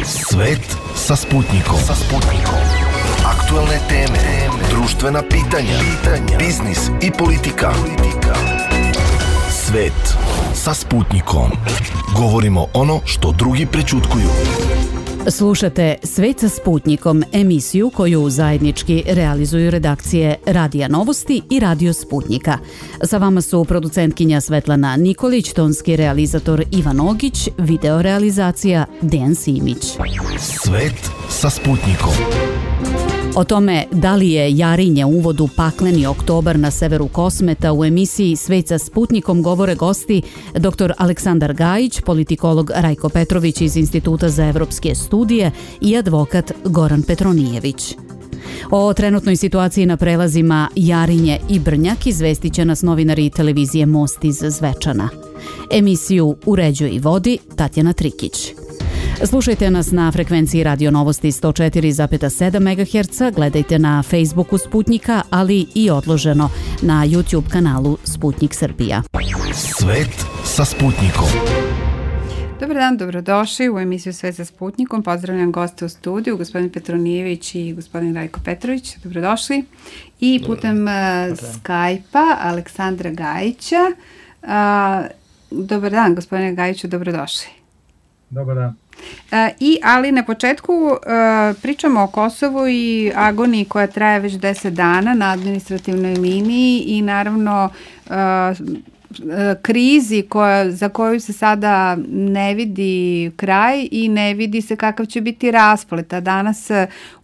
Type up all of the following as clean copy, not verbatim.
Svet sa Sputnikom. Aktuelne teme, društvena pitanja, biznis i politika. Svet sa Sputnikom. Govorimo ono što drugi prećutkuju. Slušate Svet sa Sputnikom, emisiju koju zajednički realizuju redakcije Radija Novosti i Radio Sputnika. Sa vama su producentkinja Svetlana Nikolić, tonski realizator Ivan Ogić, videorealizacija Dejan Simić. Svet sa Sputnikom. O tome da li je Jarinje uvod u pakleni oktobar na severu Kosmeta u emisiji Svet sa Sputnikom govore gosti dr. Aleksandar Gajić, politikolog Rajko Petrović iz Instituta za evropske studije i advokat Goran Petronijević. O trenutnoj situaciji na prelazima Jarinje i Brnjak izvestit će nas novinari televizije Most iz Zvečana. Emisiju uređuje i vodi Tatjana Trikić. Slušajte nas na frekvenciji Radio Novosti 104,7 MHz, gledajte na Facebooku Sputnika, ali i odloženo na YouTube kanalu Sputnik Srbija. Svet sa Sputnikom. Dobar dan, dobrodošli u emisiju Svet sa Sputnikom. Pozdravljam goste u studiju, gospodin Petronijević i gospodin Rajko Petrović. Dobrodošli. I putem Skype-a Aleksandra Gajića. Dobar dan, gospodine Gajiću, dobrodošli. Dobar dan. Ali na početku pričamo o Kosovu i agoniji koja traje već 10 dana na administrativnoj liniji i naravno krizi za koju se sada ne vidi kraj i ne vidi se kakav će biti rasplet. A danas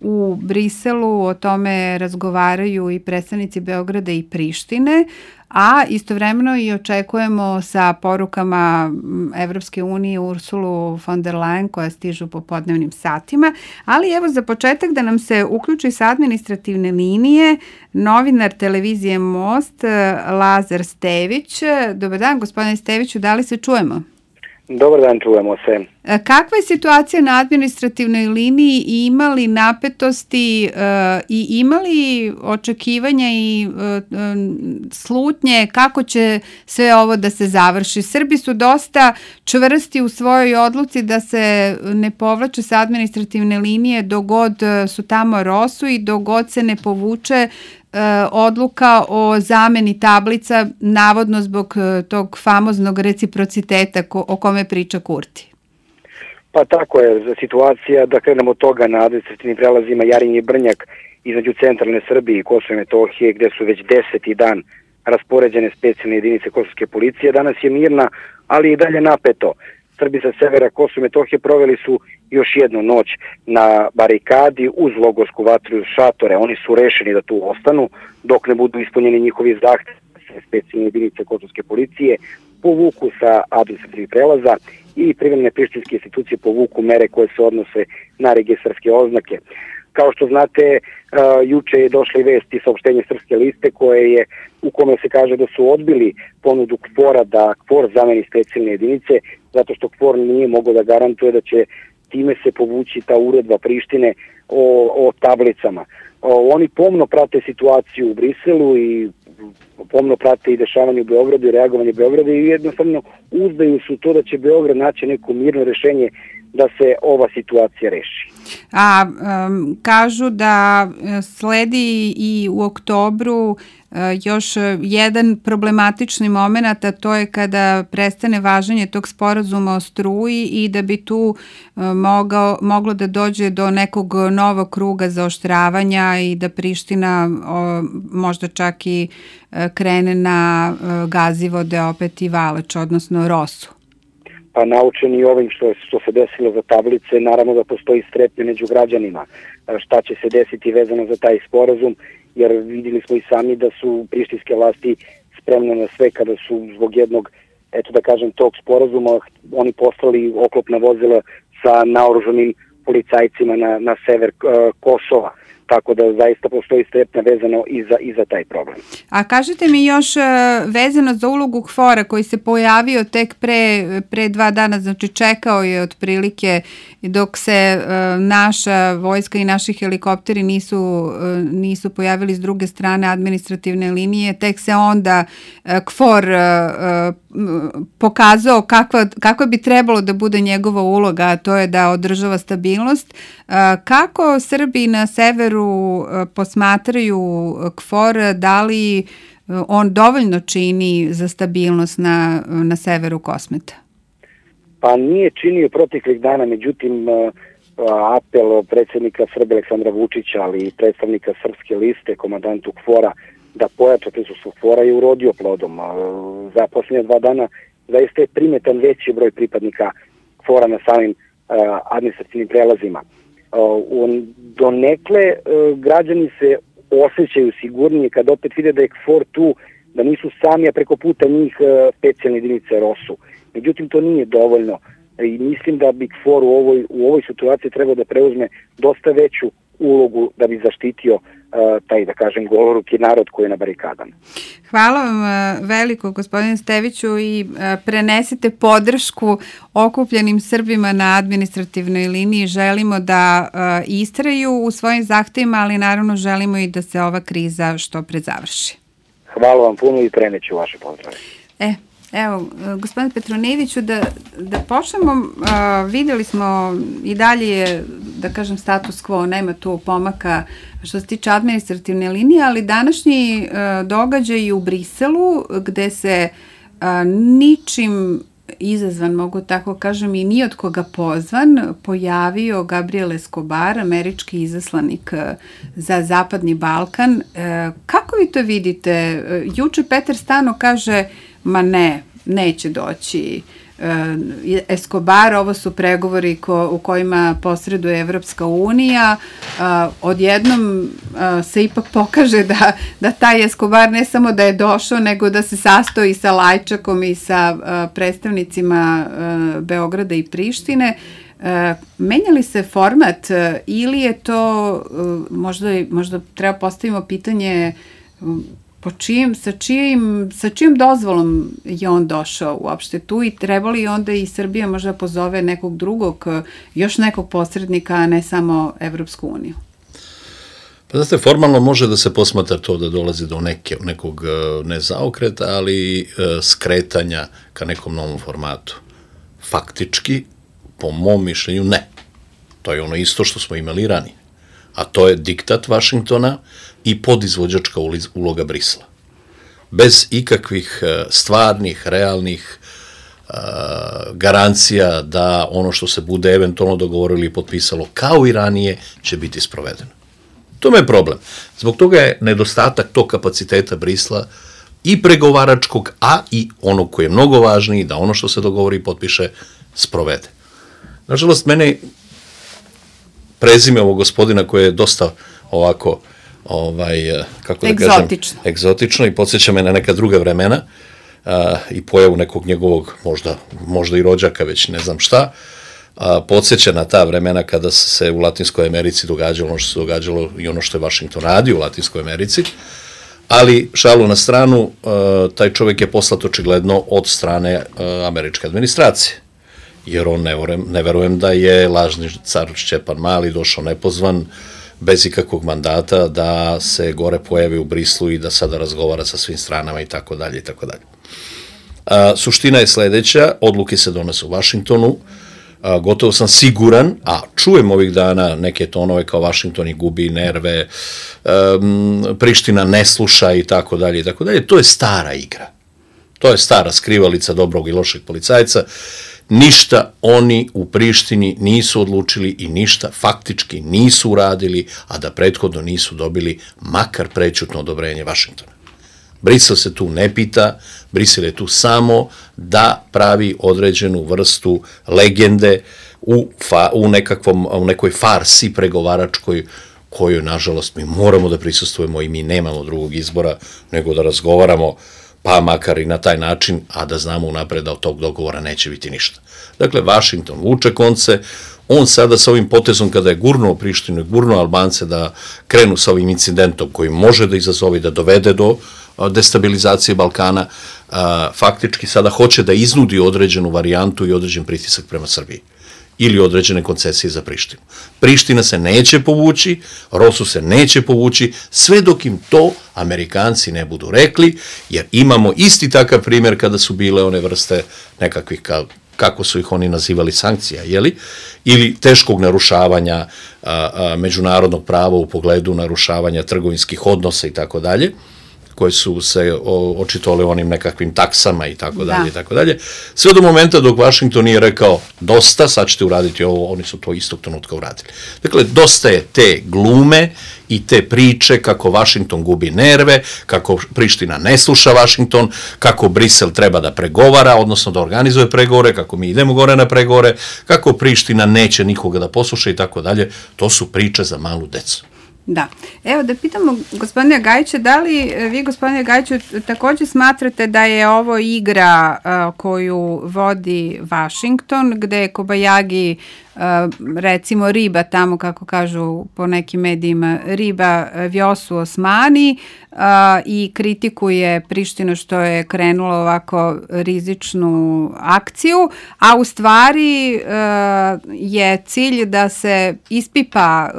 u Briselu o tome razgovaraju i predstavnici Beograda i Prištine, a istovremeno i očekujemo sa porukama Evropske unije Ursulu von der Leyen koja stižu po podnevnim satima. Ali evo za početak da nam se uključi sa administrativne linije novinar televizije Most Lazar Stević. Dobar dan, gospodine Steviću, da li se čujemo? Dobar dan, čujemo se. Kakva je situacija na administrativnoj liniji i ima li napetosti i ima li očekivanja i slutnje kako će sve ovo da se završi? Srbi su dosta čvrsti u svojoj odluci da se ne povlače sa administrativne linije dok god su tamo ROSU i dok god se ne povuče odluka o zameni tablica, navodno zbog tog famoznog reciprociteta o kome priča Kurti. Pa tako je situacija, da krenemo od toga na administrativnim prelazima Jarinje i Brnjak između centralne Srbije i Kosova i Metohije, gde su već 10. dan raspoređene specijalne jedinice kosovske policije. Danas je mirna, ali i dalje napeto. Srbi sa severa Kosova i Metohije proveli su još jednu noć na barikadi uz logorsku vatru i šatore. Oni su rešeni da tu ostanu dok ne budu ispunjeni njihovi zahtevi. Specijalne jedinice kosovske policije povuku sa administrativnih prelaza i privremene prištinske institucije povuku mere koje se odnose na registarske oznake. Kao što znate, juče je došla i vest i saopštenje Srpske liste u kome se kaže da su odbili ponudu KFOR-a da KFOR zameni specijalne jedinice, zato što KFOR nije mogao da garantuje da će time se povući ta uredba Prištine o tablicama. Oni pomno prate situaciju u Briselu i pomno prate i dešavanje u Beogradu i reagovanje Beograda i jednostavno uzdaju su to da će Beograd naći neko mirno rešenje da se ova situacija reši. Kažu da sledi i u oktobru još jedan problematični moment, a to je kada prestane važenje tog sporazuma o struji i da bi tu moglo da dođe do nekog novog kruga zaoštravanja i da Priština možda čak i krene na Gazivode opet i Valač, odnosno Rosu. Pa naučeni ovim što se desilo za tablice, naravno da postoji strepnja među građanima. Šta će se desiti vezano za taj sporazum, jer vidjeli smo i sami da su prištinske vlasti spremne na sve kada su zbog jednog, tog sporazuma oni poslali oklopna vozila sa naoružanim policajcima na sever Kosova. Tako da zaista postoji strepnja vezano i za taj problem. A kažete mi još vezano za ulogu KFOR-a koji se pojavio tek pre 2 dana, znači čekao je otprilike dok se naša vojska i naši helikopteri nisu pojavili s druge strane administrativne linije, tek se onda KFOR pokazao kakva bi trebalo da bude njegova uloga, a to je da održava stabilnost. Kako Srbi na severu posmatraju KFOR, da li on dovoljno čini za stabilnost na severu Kosmeta? Pa nije činio proteklih dana, međutim apel predsjednika Srbije Aleksandra Vučića, ali i predstavnika Srpske liste, komandantu KFOR-a, da pojača prisustvo KFOR-a je urodio plodom. Za posljednje 2 dana zaista je primetan veći broj pripadnika KFOR-a na samim administrativnim prelazima. Donekle građani se osjećaju sigurnije kad opet vide da je KFOR tu, da nisu sami, a preko puta njih specijalne jedinice ROSU. Međutim, to nije dovoljno i mislim da bi KFOR u ovoj situaciji trebao da preuzme dosta veću ulogu da bi zaštitio taj, da kažem, goloruki narod koji je na barikadama. Hvala vam veliko, gospodine Steviću, i prenesite podršku okupljenim Srbima na administrativnoj liniji. Želimo da istraju u svojim zahtevima, ali naravno želimo i da se ova kriza što pre završi. Hvala vam puno i preneću vaše pozdrave. Evo, gospodine Petronijeviću, da počnemo, videli smo i dalje je, da kažem, status quo, nema tu pomaka što se tiče administrativne linije, ali današnji događaj u Briselu, gde se ničim izazvan, mogu tako kažem, i ni od koga pozvan, pojavio Gabriel Escobar, američki izaslanik za Zapadni Balkan. Kako vi to vidite? Juče Peter Stano kaže, ma neće doći Escobar, ovo su pregovori u kojima posreduje Evropska unija. Odjednom se ipak pokaže da taj Escobar ne samo da je došao, nego da se sastoji sa Lajčakom i sa predstavnicima Beograda i Prištine. Menja li se format ili je to, možda treba postavimo pitanje, sa čijim dozvolom je on došao uopšte tu i treba li onda i Srbija možda pozove nekog drugog, još nekog posrednika, a ne samo Evropsku uniju? Pa znate, formalno može da se posmatra to da dolazi do nekog ne zaokreta, ali skretanja ka nekom novom formatu. Faktički, po mom mišljenju, ne. To je ono isto što smo imali ranije. A to je diktat Vašingtona i podizvođačka uloga Brisela. Bez ikakvih stvarnih, realnih garancija da ono što se bude eventualno dogovorili i potpisalo kao i ranije će biti sprovedeno. To je problem. Zbog toga je nedostatak tog kapaciteta Brisela i pregovaračkog, a i onog koji je mnogo važniji, da ono što se dogovori i potpiše sprovede. Nažalost, mene prezime ovog gospodina koje je dosta ovako, kako da kažem, egzotično i podsjeća me na neka druga vremena i pojavu nekog njegovog, možda i rođaka, već ne znam šta, podsjeća na ta vremena kada se u Latinskoj Americi događalo ono što se događalo i ono što je Vašington radio u Latinskoj Americi, ali šalu na stranu, taj čovjek je poslat očigledno od strane američke administracije. Jer on ne verujem da je lažni car Šćepan Mali došao nepozvan, bez ikakvog mandata, da se gore pojavi u Brislu i da sada razgovara sa svim stranama i tako dalje i tako dalje. Suština je sledeća, odluke se donose u Vašingtonu, gotovo sam siguran, a čujem ovih dana neke tonove kao Vašington i gubi nerve, Priština ne sluša i tako dalje i tako dalje, to je stara igra. To je stara skrivalica dobrog i lošeg policajca. Ništa oni u Prištini nisu odlučili i ništa faktički nisu uradili, a da prethodno nisu dobili makar prećutno odobrenje Vašingtona. Brisel se tu ne pita, Brisel je tu samo da pravi određenu vrstu legende u nekoj farsi pregovaračkoj kojoj, nažalost, mi moramo da prisustvujemo i mi nemamo drugog izbora nego da razgovaramo, pa makar i na taj način, a da znamo unapred da od tog dogovora neće biti ništa. Dakle, Vašington vuče konce, on sada sa ovim potezom kada je gurnuo Prištinu i gurnuo Albance da krenu sa ovim incidentom koji može da izazove, da dovede do destabilizacije Balkana, faktički sada hoće da iznudi određenu varijantu i određen pritisak prema Srbiji. ili određene koncesije za Prištinu. Priština se neće povući, Rosu se neće povući, sve dok im to Amerikanci ne budu rekli, jer imamo isti takav primjer kada su bile one vrste nekakvih, kako su ih oni nazivali, sankcija, ili teškog narušavanja međunarodnog prava u pogledu narušavanja trgovinskih odnosa i tako dalje, koje su se očitovali onim nekakvim taksama i tako dalje, i tako dalje. Sve do momenta dok Washington nije rekao dosta, sad ćete uraditi ovo, oni su to istog trenutka uradili. Dakle, dosta je te glume i te priče kako Washington gubi nerve, kako Priština ne sluša Washington, kako Brisel treba da pregovara, odnosno da organizuje pregovore, kako mi idemo gore na pregovore, kako Priština neće nikoga da posluša i tako dalje. To su priče za malu decu. Da. Evo da pitamo gospodina Gajića, da li vi, gospodine Gajiću, također smatrate da je ovo igra koju vodi Washington, gde Kobayagi, recimo riba tamo, kako kažu po nekim medijima, riba Vjosu Osmani i kritikuje Prištinu što je krenula ovako rizičnu akciju, a u stvari je cilj da se ispipa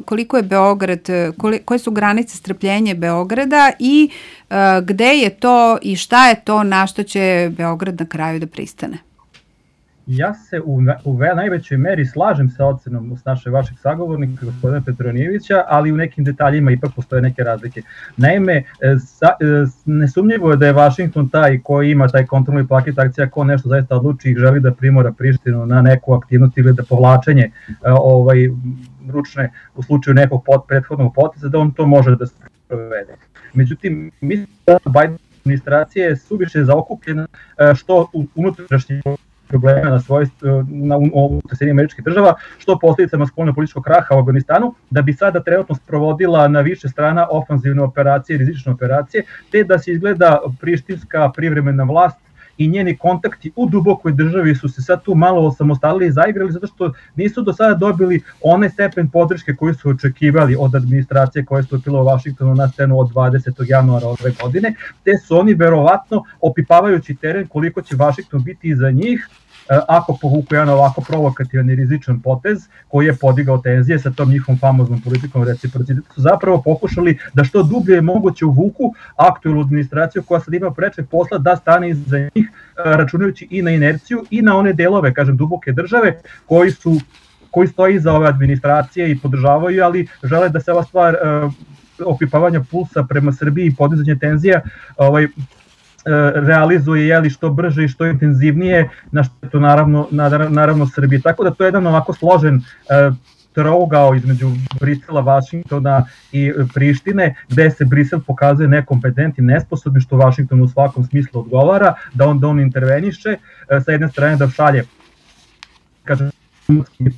koliko je Beograd, koje su granice strpljenja Beograda i gde je to i šta je to na što će Beograd na kraju da pristane. Ja se u najvećoj meri slažem sa ocenom vašeg sagovornika, gospodina Petronijevića, ali u nekim detaljima ipak postoje neke razlike. Naime, nesumnjivo je da je Washington taj koji ima taj kontrolni paket akcija, ko nešto zaista odluči i želi da primora Prištinu na neku aktivnost ili da povlačenje ručne u slučaju nekog prethodnog poteza, da on to može da se provede. Međutim, mislim da Biden administracija je suviše zaokupljena što unutrašnje problema u Sjedinjenih Američkih Država, što posljedicama spoljno-političkog kraha u Afganistanu, da bi sada trenutno sprovodila na više strana ofanzivne operacije, rizične operacije, te da se izgleda prištinska privremena vlast i njeni kontakti u dubokoj državi su se sad tu malo osamostalili i zaigrali zato što nisu do sada dobili onaj stepen podrške koji su očekivali od administracije koja je stupila u Washingtonu na scenu od 20. januara ove godine, te su oni verovatno opipavajući teren koliko će Washington biti iza njih ako povuku jedan ovako provokativan i rizičan potez koji je podigao tenzije sa tom njihovom famoznom politikom reciprociteta, su zapravo pokušali da što dublje je moguće uvuku aktualnu administraciju koja sad ima preče posla da stane iza njih, računajući i na inerciju i na one delove, kažem, duboke države koji stoji iza ove administracije i podržavaju, ali žele da se ova stvar opipavanja pulsa prema Srbiji i podizanje tenzija realizuje što brže i što intenzivnije, na što je to naravno Srbije. Tako da to je jedan ovako složen trougao između Brisela, Vašingtona i Prištine, gde se Brisel pokazuje nekompetentnim, nesposobnim, što Vašington u svakom smislu odgovara, da on interveniše, sa jedne strane da šalje, kažem,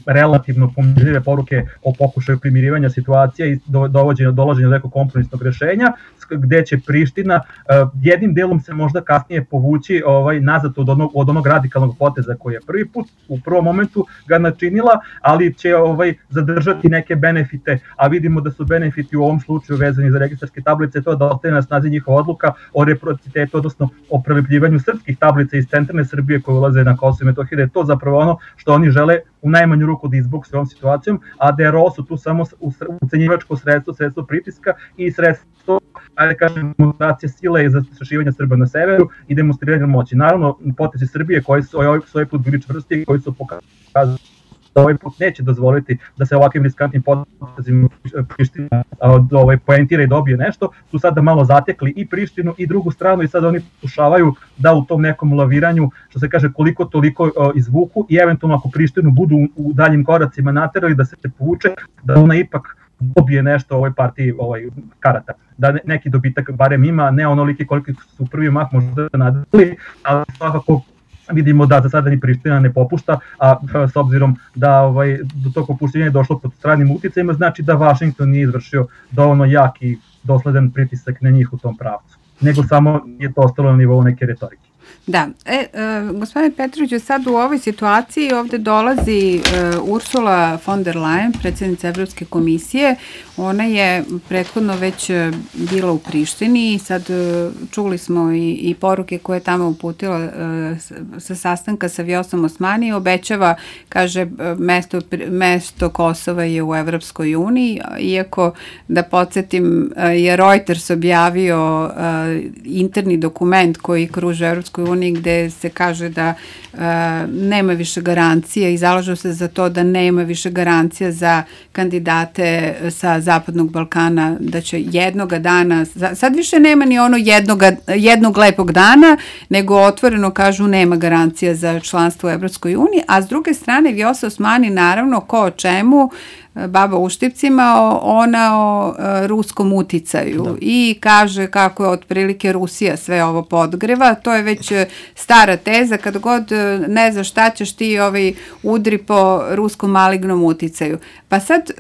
relativno pomirljive poruke o pokušaju primirivanja situacija i dolaženja do nekog kompromisnog rešenja, gde će Priština jednim delom se možda kasnije povući nazad od onog radikalnog poteza koji je prvi put u prvom momentu ga načinila, ali će zadržati neke benefite, a vidimo da su benefiti u ovom slučaju vezani za registarske tablice, to da ostaje na snazi njihova odluka o reciprocitetu, odnosno o prelepljivanju srpskih tablica iz centralne Srbije koje ulaze na Kosovo i Metohiju, da je to zapravo ono što oni žele u najmanju ruku da izbokse ovom situacijom, a da je ROSU tu samo ucenjivačko sredstvo pritiska i sredstvo, ajde kažem, demonstracije sile za zastrašivanje Srba na severu i demonstriranje moći. Naravno, potezi Srbije koji su ovaj put bili čvrsti i koji su pokazali da ovaj put neće dozvoliti da se ovakvim riskantnim potezima Priština poentira i dobije nešto, su sada malo zatekli i Prištinu i drugu stranu i sada oni pokušavaju da u tom nekom laviranju, što se kaže, koliko toliko izvuku i eventualno ako Prištinu budu u daljim koracima naterali da se povuče, da ona ipak dobije nešto u ovoj partiji karata. Da neki dobitak barem ima, ne onoliki koliki su prvi mah možda nadali, ali svakako vidimo da za sada ni Priština ne popušta, a s obzirom da do tog popuštenja je došlo pod stranim uticajima, znači da Washington nije izvršio dovoljno jak i dosledan pritisak na njih u tom pravcu, nego samo je to ostalo na nivou neke retorike. Da, gospodine Petroviću, sad u ovoj situaciji ovde dolazi Ursula von der Leyen, predsjednica Evropske komisije. Ona je prethodno već bila u Prištini i sad čuli smo i poruke koje je tamo uputila sa sastanka sa Vjosom Osmani. Obećava, kaže, mesto Kosova je u Evropskoj uniji, iako da podsjetim je Reuters objavio interni dokument koji kruže Evropskoj uniji gde se kaže da nema više garancija i zalažu se za to da nema više garancija za kandidate sa Zapadnog Balkana, da će jednoga dana, sad više nema ni ono jednog lepog dana, nego otvoreno kažu nema garancija za članstvo u Evropskoj uniji, a s druge strane Vjosa Osmani naravno ko o čemu, baba u štipcima, ona o ruskom uticaju i kaže kako je otprilike Rusija sve ovo podgreva. To je već stara teza, kad god ne znaš šta ćeš ti udri po ruskom malignom uticaju. Pa sad,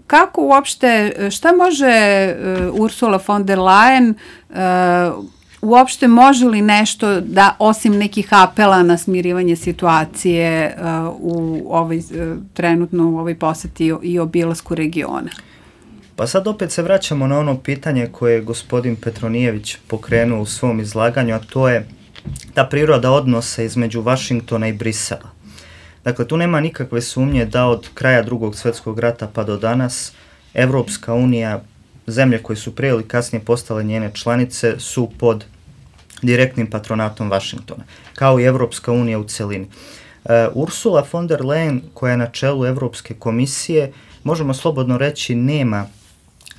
kako uopšte, šta može Ursula von der Leyen uopšte može li nešto da, osim nekih apela na smirivanje situacije trenutno u ovoj poseti i obilasku regiona? Pa sad opet se vraćamo na ono pitanje koje je gospodin Petronijević pokrenuo u svom izlaganju, a to je ta priroda odnosa između Vašingtona i Brisela. Dakle, tu nema nikakve sumnje da od kraja Drugog svjetskog rata pa do danas Evropska unija, zemlje koje su prije ili kasnije postale njene članice, su pod direktnim patronatom Vašingtona, kao i Evropska unija u celini. Ursula von der Leyen, koja je na čelu Evropske komisije, možemo slobodno reći, nema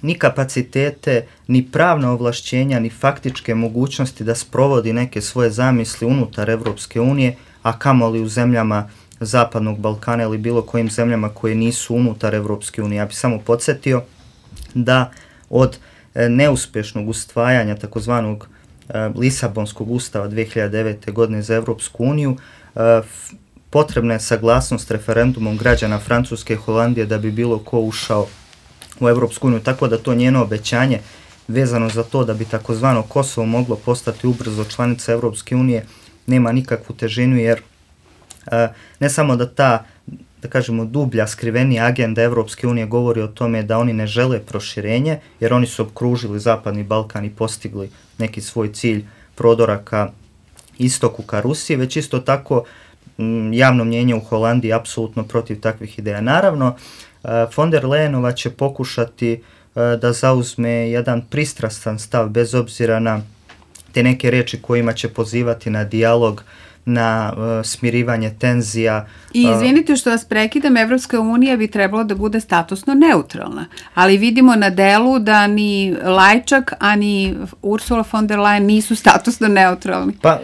ni kapacitete, ni pravna ovlašćenja, ni faktičke mogućnosti da sprovodi neke svoje zamisli unutar Evropske unije, a kamoli u zemljama Zapadnog Balkana ili bilo kojim zemljama koje nisu unutar Evropske unije. Ja bih samo podsjetio da od neuspješnog usvajanja takozvanog Lisabonskog ustava 2009. godine za Evropsku uniju potrebna je saglasnost referendumom građana Francuske i Holandije da bi bilo ko ušao u Evropsku uniju, tako da to njeno obećanje vezano za to da bi takozvano Kosovo moglo postati ubrzo članica Evropske unije nema nikakvu težinu, jer ne samo da ta, da kažemo, dublja, skrivenija agenda Evropske unije govori o tome da oni ne žele proširenje, jer oni su okružili Zapadni Balkan i postigli neki svoj cilj prodora ka istoku, ka Rusiji, već isto tako javno mnjenje u Holandiji je apsolutno protiv takvih ideja. Naravno, von der Leyenova će pokušati da zauzme jedan pristrastan stav, bez obzira na te neke riječi kojima će pozivati na dijalog, na smirivanje tenzija. I izvinite što vas prekidam, Evropska unija bi trebalo da bude statusno neutralna, ali vidimo na delu da ni Lajčak, ani Ursula von der Leyen nisu statusno neutralni. Pa,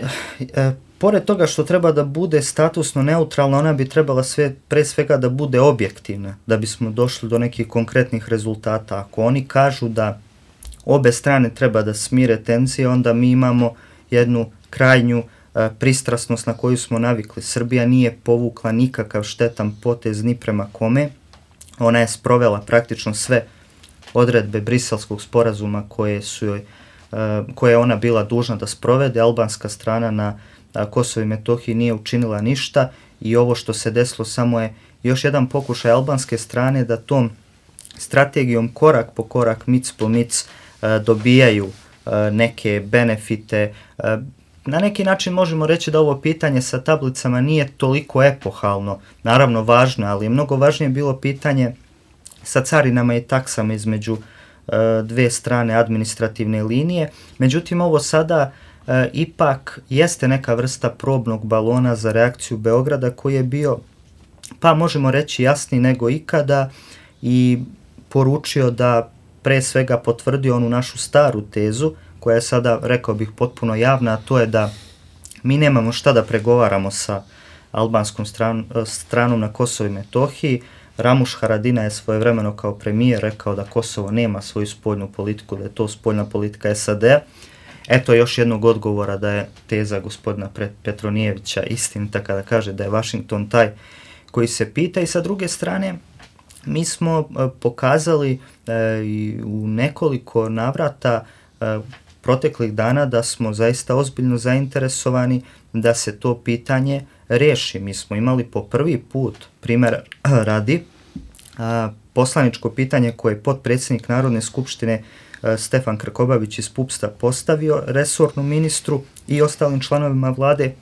pored toga što treba da bude statusno neutralna, ona bi trebala pre svega da bude objektivna, da bismo došli do nekih konkretnih rezultata. Ako oni kažu da obe strane treba da smire tenzije, onda mi imamo jednu krajnju pristrasnost na koju smo navikli. Srbija nije povukla nikakav štetan potez ni prema kome. Ona je sprovela praktično sve odredbe Briselskog sporazuma koje je ona bila dužna da sprovede. Albanska strana na Kosovo i Metohiji nije učinila ništa i ovo što se desilo samo je još jedan pokušaj albanske strane da tom strategijom korak po korak, mic po mic dobijaju neke benefite. Na neki način možemo reći da ovo pitanje sa tablicama nije toliko epohalno, naravno važno, ali je mnogo važnije bilo pitanje sa carinama i taksama između dve strane administrativne linije. Međutim, ovo sada ipak jeste neka vrsta probnog balona za reakciju Beograda koji je bio, pa možemo reći, jasniji nego ikada i poručio da pre svega potvrdio onu našu staru tezu koja je sada, rekao bih, potpuno javna, a to je da mi nemamo šta da pregovaramo sa albanskom stranom na Kosovo i Metohiji. Ramuš Haradinaj je svojevremeno kao premijer rekao da Kosovo nema svoju spoljnu politiku, da je to spoljna politika SAD-a. Eto još jednog odgovora da je teza gospodina Petronijevića istinita kada kaže da je Washington taj koji se pita. I sa druge strane, mi smo pokazali u nekoliko navrata proteklih dana da smo zaista ozbiljno zainteresovani da se to pitanje reši. Mi smo imali po prvi put, primjer radi, poslaničko pitanje koje je potpredsjednik Narodne skupštine Stefan Krkobabić iz PUPS-a postavio resornom ministru i ostalim članovima vlade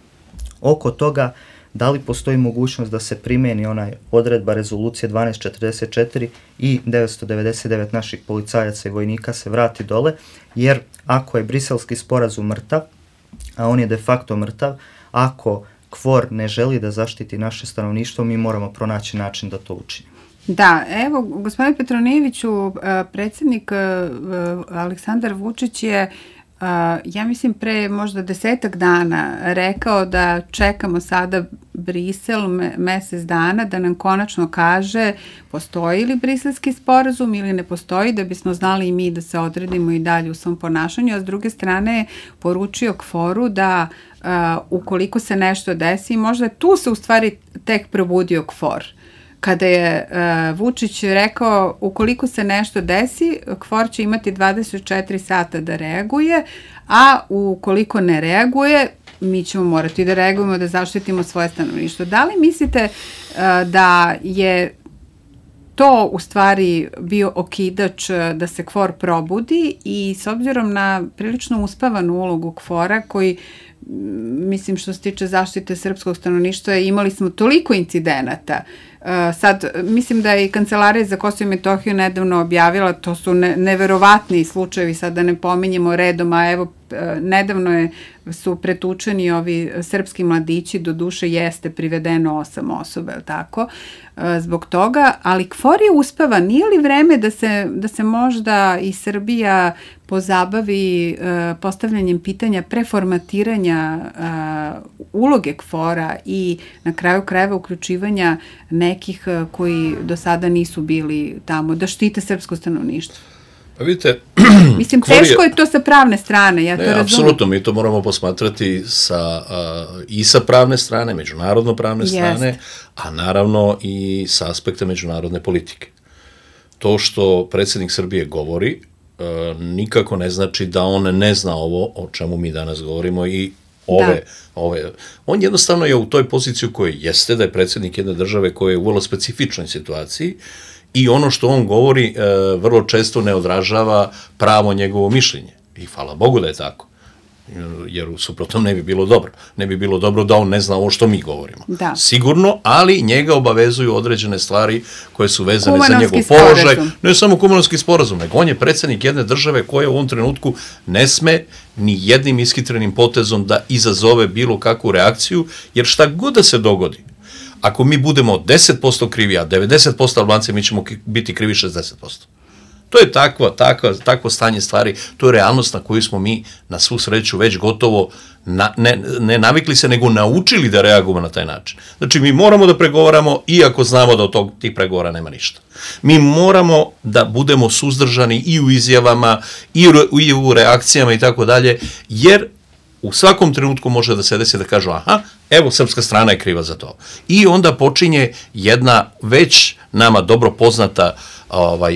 oko toga da li postoji mogućnost da se primeni onaj odredba rezolucije 1244 i 999 naših policajaca i vojnika se vrati dole, jer ako je briselski sporazum mrtav, a on je de facto mrtav, ako KFOR ne želi da zaštiti naše stanovništvo, mi moramo pronaći način da to učinimo. Da, evo, gospodine Petronijeviću, predsjednik Aleksandar Vučić je, ja mislim, pre možda 10 dana rekao da čekamo sada Brisel mesec dana da nam konačno kaže postoji li briselski sporazum ili ne postoji, da bismo znali i mi da se odredimo i dalje u svom ponašanju, a s druge strane je poručio KFOR-u da ukoliko se nešto desi, možda tu se u stvari tek probudio KFOR. Kada je Vučić rekao ukoliko se nešto desi, KFOR će imati 24 sata da reaguje, a ukoliko ne reaguje, mi ćemo morati da reagujemo, da zaštitimo svoje stanovništvo. Da li mislite da je to u stvari bio okidač da se KFOR probudi i s obzirom na prilično uspavanu ulogu KFOR-a koji, mislim, što se tiče zaštite srpskog stanovništva, imali smo toliko incidenata. Sad, mislim da je i Kancelarija za Kosovo i Metohiju nedavno objavila, to su neverovatni slučajevi, sad da ne pominjemo redom, a evo, nedavno su pretučeni ovi srpski mladići, do duše jeste privedeno 8 osoba, je li tako, zbog toga, ali KFOR je uspeva, nije li vreme da se možda i Srbija pozabavi postavljanjem pitanja preformatiranja uloge KFOR-a i na kraju krajeva uključivanja nekih koji do sada nisu bili tamo, da štite srpsko stanovništvo? Pa vidite, mislim, teško je to sa pravne strane, ja to razumijem. Apsolutno, mi to moramo posmatrati i sa pravne strane, međunarodno pravne strane, a naravno i sa aspekta međunarodne politike. To što predsjednik Srbije govori nikako ne znači da on ne zna ovo o čemu mi danas govorimo i on jednostavno je u toj poziciji u kojoj jeste, da je predsjednik jedne države koja je u vrlo specifičnoj situaciji i ono što on govori vrlo često ne odražava pravo njegovo mišljenje. I hvala Bogu da je tako. Jer suprotno ne bi bilo dobro. Ne bi bilo dobro da on ne zna ovo što mi govorimo. Da. Sigurno, ali njega obavezuju određene stvari koje su vezane za njegov položaj. Ne samo Kumanovski sporazum, nego on je predsjednik jedne države koja u ovom trenutku ne sme ni jednim ishitrenim potezom da izazove bilo kakvu reakciju, jer šta god da se dogodi, ako mi budemo 10% krivi, a 90% Albanci, mi ćemo biti krivi 60%. To je takvo stanje stvari, to je realnost na koju smo mi na svu sreću već gotovo ne navikli se, nego naučili da reagujemo na taj način. Znači, mi moramo da pregovaramo iako znamo da od tih pregovora nema ništa. Mi moramo da budemo suzdržani i u izjavama, i u reakcijama i tako dalje, jer u svakom trenutku može da se desi da kažu aha, evo, srpska strana je kriva za to. I onda počinje jedna već nama dobro poznata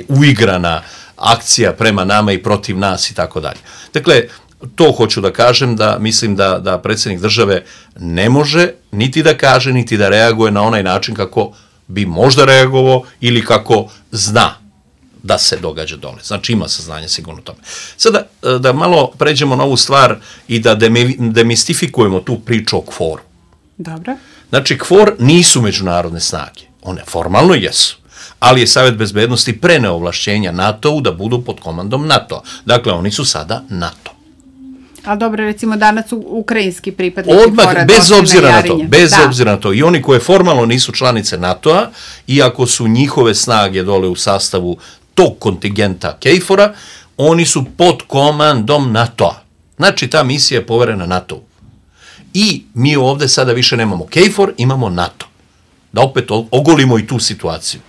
uigrana akcija prema nama i protiv nas i tako dalje. Dakle, to hoću da kažem, da mislim da predsjednik države ne može niti da kaže, niti da reaguje na onaj način kako bi možda reagovao ili kako zna da se događa dole. Znači, ima saznanje sigurno tome. Sada, da malo pređemo na ovu stvar i da demistifikujemo tu priču o KFOR-u. Dobro. Znači, KFOR nisu međunarodne snage. One formalno jesu. Ali je Savjet bezbednosti preneo ovlašćenja NATO-u da budu pod komandom NATO-a. Dakle, oni su sada NATO. Ali dobro, recimo danas su ukrajinski pripadnici KFOR-a. Bez obzira na to. I oni koje formalno nisu članice NATO-a, iako su njihove snage dole u sastavu tog kontingenta KFOR-a, oni su pod komandom NATO-a. Znači, ta misija je poverena NATO-u. I mi ovde sada više nemamo KFOR, imamo NATO. Da opet ogolimo i tu situaciju.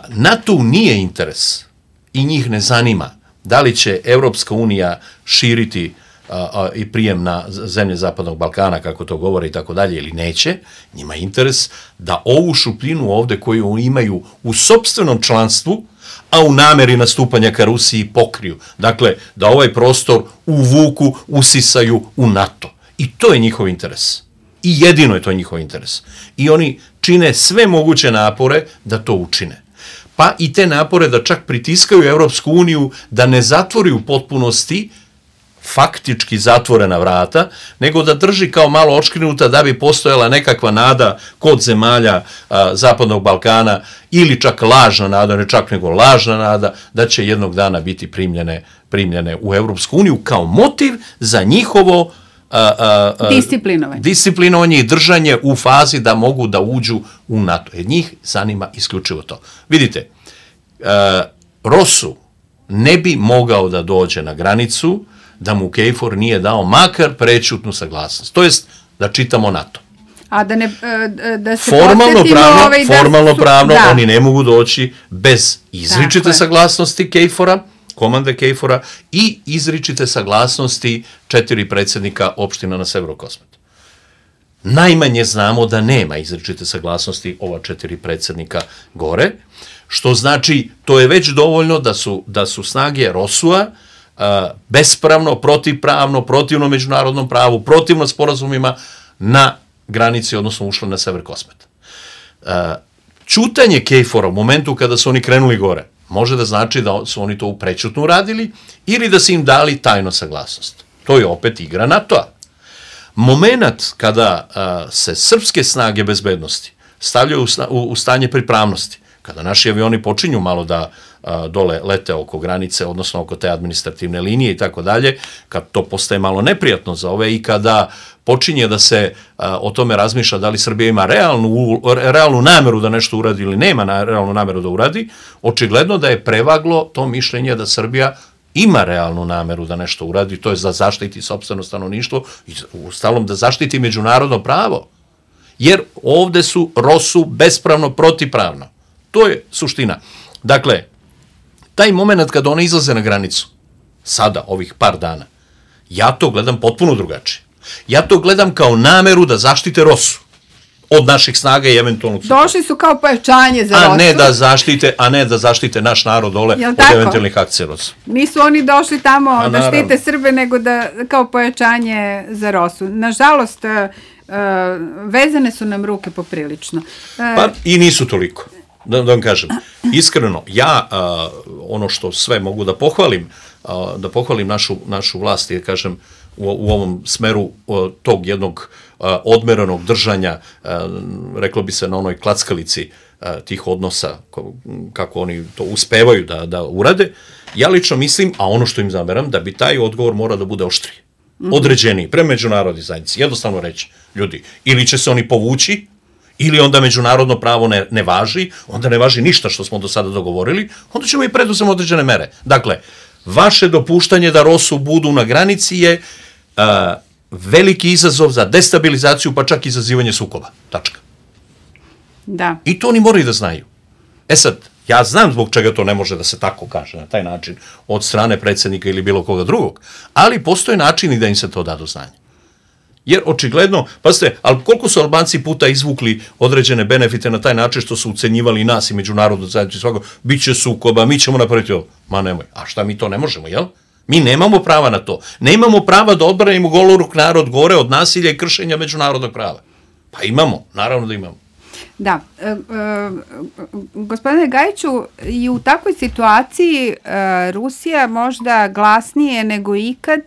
NATO nije interes i njih ne zanima da li će Evropska unija širiti i prijem na zemlje Zapadnog Balkana, kako to govore i tako dalje, ili neće, njima je interes da ovu šupljinu ovde koju imaju u sopstvenom članstvu, a u nameri nastupanja ka Rusiji pokriju. Dakle, da ovaj prostor uvuku, usisaju u NATO. I to je njihov interes. I jedino je to njihov interes. I oni čine sve moguće napore da to učine. Pa i te napore da čak pritiskaju Evropsku uniju da ne zatvori u potpunosti faktički zatvorena vrata, nego da drži kao malo očkrinuta da bi postojala nekakva nada kod zemalja Zapadnog Balkana ili čak lažna nada, ne čak nego lažna nada, da će jednog dana biti primljene u Evropsku uniju kao motiv za njihovo disciplinovanje i držanje u fazi da mogu da uđu u NATO. Jer njih zanima isključivo to. Vidite, Rosu ne bi mogao da dođe na granicu da mu KFOR nije dao makar prečutnu saglasnost. To jest da čitamo NATO. A da ne, da se formalno pravno oni ne mogu doći bez izričite saglasnosti KFOR-a, komande KFOR-a i izričite saglasnosti 4 predsjednika opština na severu Kosmeta. Najmanje znamo da nema izričite saglasnosti ova 4 predsjednika gore, što znači to je već dovoljno da su snage ROSU-a bespravno, protivpravno, protivno međunarodnom pravu, protivno sporazumima na granici, odnosno ušle na sever Kosmeta. Ćutanje KFOR-a u momentu kada su oni krenuli gore može da znači da su oni to prećutno uradili ili da su im dali tajno saglasnost. To je opet igra NATO-a. Moment kada se srpske snage bezbednosti stavljaju u stanje pripravnosti, kada naši avioni počinju malo da dole lete oko granice, odnosno oko te administrativne linije i tako dalje, kad to postaje malo neprijatno za ove i kada počinje da se o tome razmišlja da li Srbija ima realnu nameru da nešto uradi ili nema realnu nameru da uradi, očigledno da je prevaglo to mišljenje da Srbija ima realnu nameru da nešto uradi, to je da zaštiti sopstveno stanovništvo i ustalom da zaštiti međunarodno pravo. Jer ovde su ROSU bespravno, protivpravno. To je suština. Dakle, taj moment kada one izlaze na granicu, sada, ovih par dana, ja to gledam potpuno drugačije. Ja to gledam kao nameru da zaštite ROSU od naših snaga i eventualnog sukoba. Došli su kao pojačanje za ROSU. A ne da zaštite naš narod dole od eventualnih akcija ROSU. Nisu oni došli tamo da štite Srbe, nego da kao pojačanje za ROSU. Nažalost, vezane su nam ruke poprilično. Pa i nisu toliko. Da vam kažem, iskreno, ja ono što sve mogu da pohvalim našu vlast i kažem u ovom smeru tog jednog odmeranog držanja, reklo bi se na onoj klackalici tih odnosa, kako oni to uspevaju da urade, ja lično mislim, a ono što im zameram, da bi taj odgovor mora da bude oštriji, određeniji, prema međunarodnoj zajednici, jednostavno reći, ljudi, ili će se oni povući, ili onda međunarodno pravo ne važi, onda ne važi ništa što smo do sada dogovorili, onda ćemo i preduzeti određene mere. Dakle, vaše dopuštanje da ROSU budu na granici je veliki izazov za destabilizaciju, pa čak i izazivanje sukoba. Tačka. Da. I to oni moraju da znaju. E sad, ja znam zbog čega to ne može da se tako kaže na taj način od strane predsjednika ili bilo koga drugog, ali postoje načini da im se to da do znanja. Jer očigledno, pazite, ali koliko su Albanci puta izvukli određene benefite na taj način što su ucenjivali nas i međunarodno zajednicu svako, bit će sukoba, mi ćemo napraviti ovo. Ma nemoj, a šta mi to ne možemo, jel? Mi nemamo prava na to. Nemamo prava da odbranimo goloruk narod gore od nasilja i kršenja međunarodnog prava. Pa imamo, naravno da imamo. Da, gospodine Gajiću, i u takvoj situaciji Rusija možda glasnije nego ikad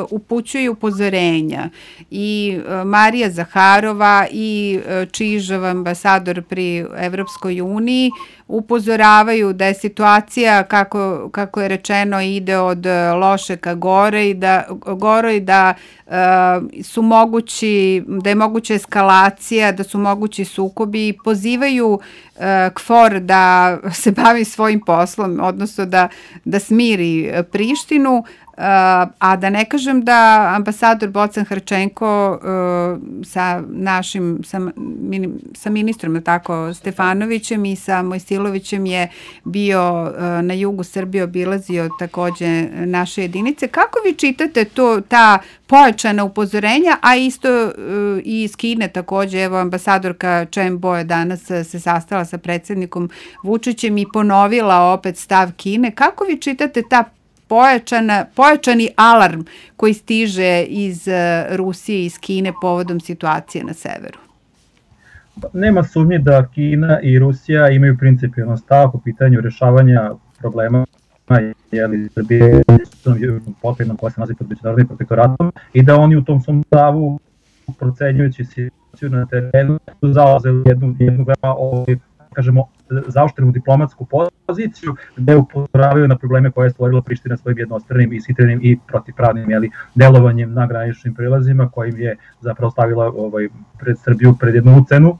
upućuje upozorenja. I Marija Zaharova i Čižov, ambasador pri Evropskoj uniji, upozoravaju da je situacija, kako je rečeno, ide od loše ka gore i da su mogući, da je moguća eskalacija, da su mogući sukobi i pozivaju KFOR da se bavi svojim poslom, odnosno da smiri Prištinu, a da ne kažem da ambasador Bocan Hrčenko sa ministrom tako, Stefanovićem i sa Mojsilovićem je bio na jugu Srbije, obilazio takođe naše jedinice. Kako vi čitate ta pojačana upozorenja, a isto i iz Kine takođe, evo ambasadorka Chen Bo je danas se sastala sa predsjednikom Vučićem i ponovila opet stav Kine. Kako vi čitate ta pojačani alarm koji stiže iz Rusije i iz Kine povodom situacije na severu? Nema sumnje da Kina i Rusija imaju principijalno stav po pitanju rešavanja problema Srbije pokrajinom koja se nalazi pod međunarodnim protektoratom i da oni u tom svom stavu, procenjujući situaciju na terenu, su zauzeli jednu veoma kažemo, zaoštrenu diplomatsku poziciju gde upozoravaju na probleme koje je stvorila Priština svojim jednostranim, ishitrenim i protivpravnim delovanjem na graničnim prilazima kojim je zapravo stavila pred Srbiju pred jednu ucenu,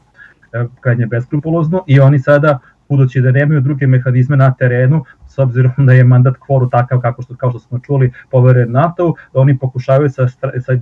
krajnje beskrupulozno, i oni sada, budući da nemaju druge mehanizme na terenu, s obzirom da je mandat KFOR-u takav kao što smo čuli poveren NATO-u, da oni pokušavaju sa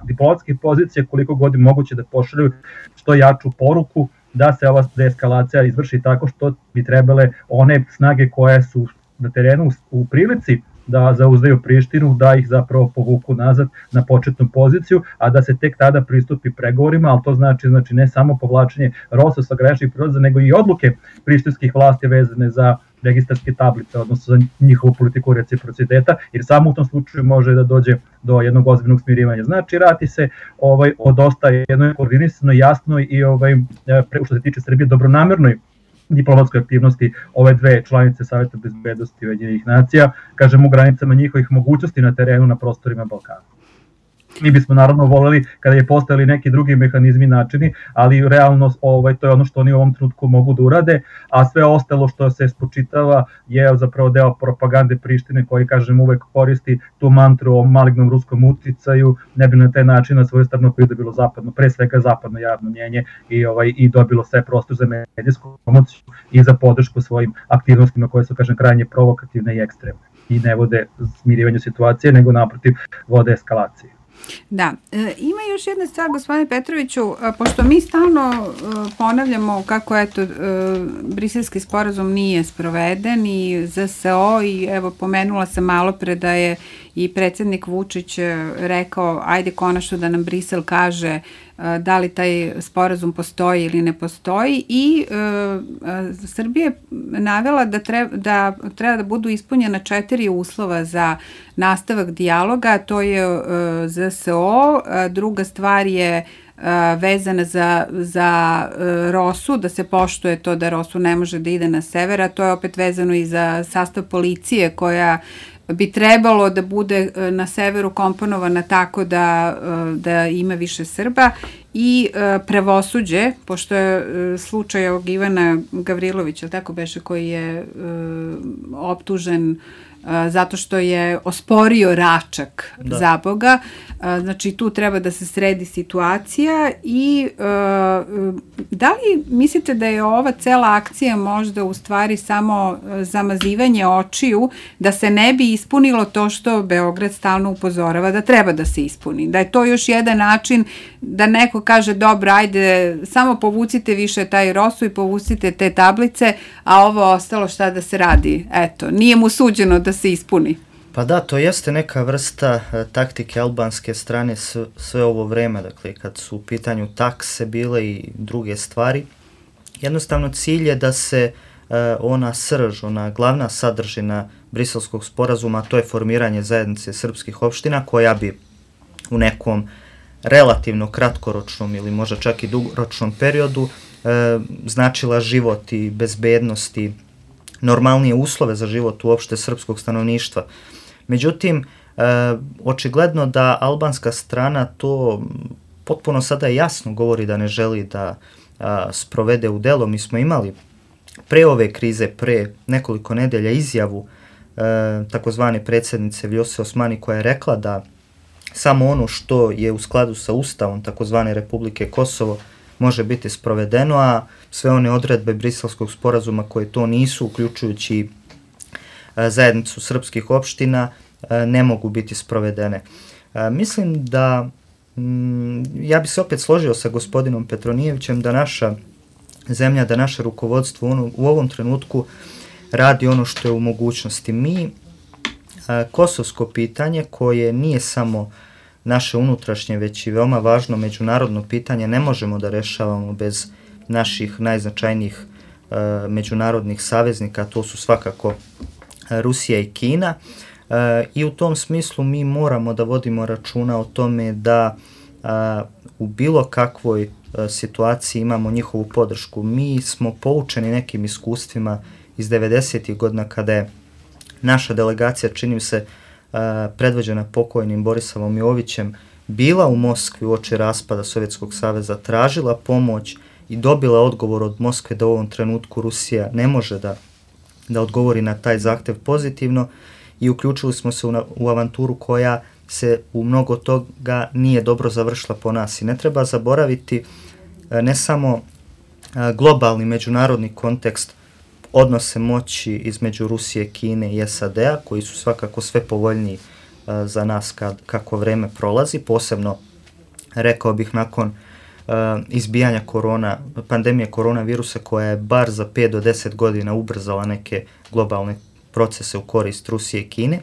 diplomatskih pozicija koliko god je moguće da pošalju što jaču poruku da se ova deeskalacija izvrši tako što bi trebale one snage koje su na terenu u prilici da zauzdaju Prištinu, da ih zapravo povuku nazad na početnu poziciju, a da se tek tada pristupi pregovorima, ali to znači ne samo povlačenje ROSU sa graničnih prilaza, nego i odluke prištinskih vlasti vezane za registarske tablice, odnosno za njihovu politiku reciprociteta, jer samo u tom slučaju može da dođe do jednog ozbiljnog smirivanja. Znači, radi se o dosta jednoj koordinisanoj, jasnoj i što se tiče Srbije dobronamernoj diplomatskoj aktivnosti ove dve članice Saveta bezbednosti Ujedinjenih nacija, kažem u granicama njihovih mogućnosti na terenu na prostorima Balkana. Mi bismo naravno voleli kada je postojali neki drugi mehanizmi i načini, ali realno to je ono što oni u ovom trenutku mogu da urade, a sve ostalo što se spočitava je zapravo deo propagande Prištine koji, kažem, uvek koristi tu mantru o malignom ruskom uticaju, ne bi na taj način na svoju stranu pridobilo pre svega zapadno javno mnjenje i dobilo sve prostor za medijsku promociju i za podršku svojim aktivnostima koje su, kažem, krajnje provokativne i ekstremne i ne vode smirivanju situacije, nego naprotiv vode eskalacije. Da, ima još jedna stvar, gospodine Petroviću, pošto mi stalno ponavljamo kako Briselski sporazum nije sproveden i ZSO, i evo pomenula sam malo pre da je i predsjednik Vučić rekao ajde konačno da nam Brisel kaže da li taj sporazum postoji ili ne postoji, i Srbija je navela da treba da budu ispunjena 4 uslova za nastavak dijaloga, to je ZSO, druga stvar je vezana za ROSU, da se poštuje to da ROSU ne može da ide na sever, a to je opet vezano i za sastav policije koja bi trebalo da bude na severu komponovana tako da ima više Srba, i pravosuđe, pošto je slučaj ovog Ivana Gavrilovića, tako beše, koji je optužen zato što je osporio Račak, za Boga. Znači, tu treba da se sredi situacija. I da li mislite da je ova cela akcija možda u stvari samo zamazivanje očiju, da se ne bi ispunilo to što Beograd stalno upozorava da treba da se ispuni? Da je to još jedan način da neko kaže dobro, ajde, samo povucite više taj ROSU i povucite te tablice, a ovo ostalo šta da se radi? Eto, nije mu suđeno da se ispuni. Pa da, to jeste neka vrsta taktike albanske strane sve ovo vreme, dakle kad su u pitanju takse bile i druge stvari. Jednostavno cilj je da se ona srž, ona glavna sadržina Briselskog sporazuma, to je formiranje zajednice srpskih opština koja bi u nekom relativno kratkoročnom ili možda čak i dugoročnom periodu značila život i bezbednost i normalnije uslove za život uopšte srpskog stanovništva. Međutim, očigledno da albanska strana to potpuno sada jasno govori da ne želi da sprovede u delo. Mi smo imali pre ove krize, pre nekoliko nedelja izjavu takozvane predsjednice Vljose Osmani koja je rekla da samo ono što je u skladu sa Ustavom takozvane Republike Kosovo može biti sprovedeno, a sve one odredbe Briselskog sporazuma koje to nisu, uključujući zajednicu srpskih opština, ne mogu biti sprovedene. Mislim da, ja bi se opet složio sa gospodinom Petronijevićem da naša zemlja, da naše rukovodstvo u ovom trenutku radi ono što je u mogućnosti. Mi kosovsko pitanje, koje nije samo naše unutrašnje, već i veoma važno međunarodno pitanje, ne možemo da rešavamo bez naših najznačajnijih međunarodnih saveznika, to su svakako Rusija i Kina. I u tom smislu mi moramo da vodimo računa o tome da u bilo kakvoj situaciji imamo njihovu podršku. Mi smo poučeni nekim iskustvima iz 90. godina kada je naša delegacija, čini se, predvođena pokojnim Borisavom Jovićem, bila u Moskvi uoči raspada Sovjetskog saveza, tražila pomoć i dobila odgovor od Moskve da u ovom trenutku Rusija ne može da odgovori na taj zahtev pozitivno, i uključili smo se u avanturu koja se u mnogo toga nije dobro završila po nas. I ne treba zaboraviti ne samo globalni međunarodni kontekst, odnose moći između Rusije, Kine i SAD-a, koji su svakako sve povoljniji za nas kako vreme prolazi, posebno, rekao bih, nakon izbijanja pandemije koronavirusa, koja je bar za 5 do 10 godina ubrzala neke globalne procese u korist Rusije i Kine.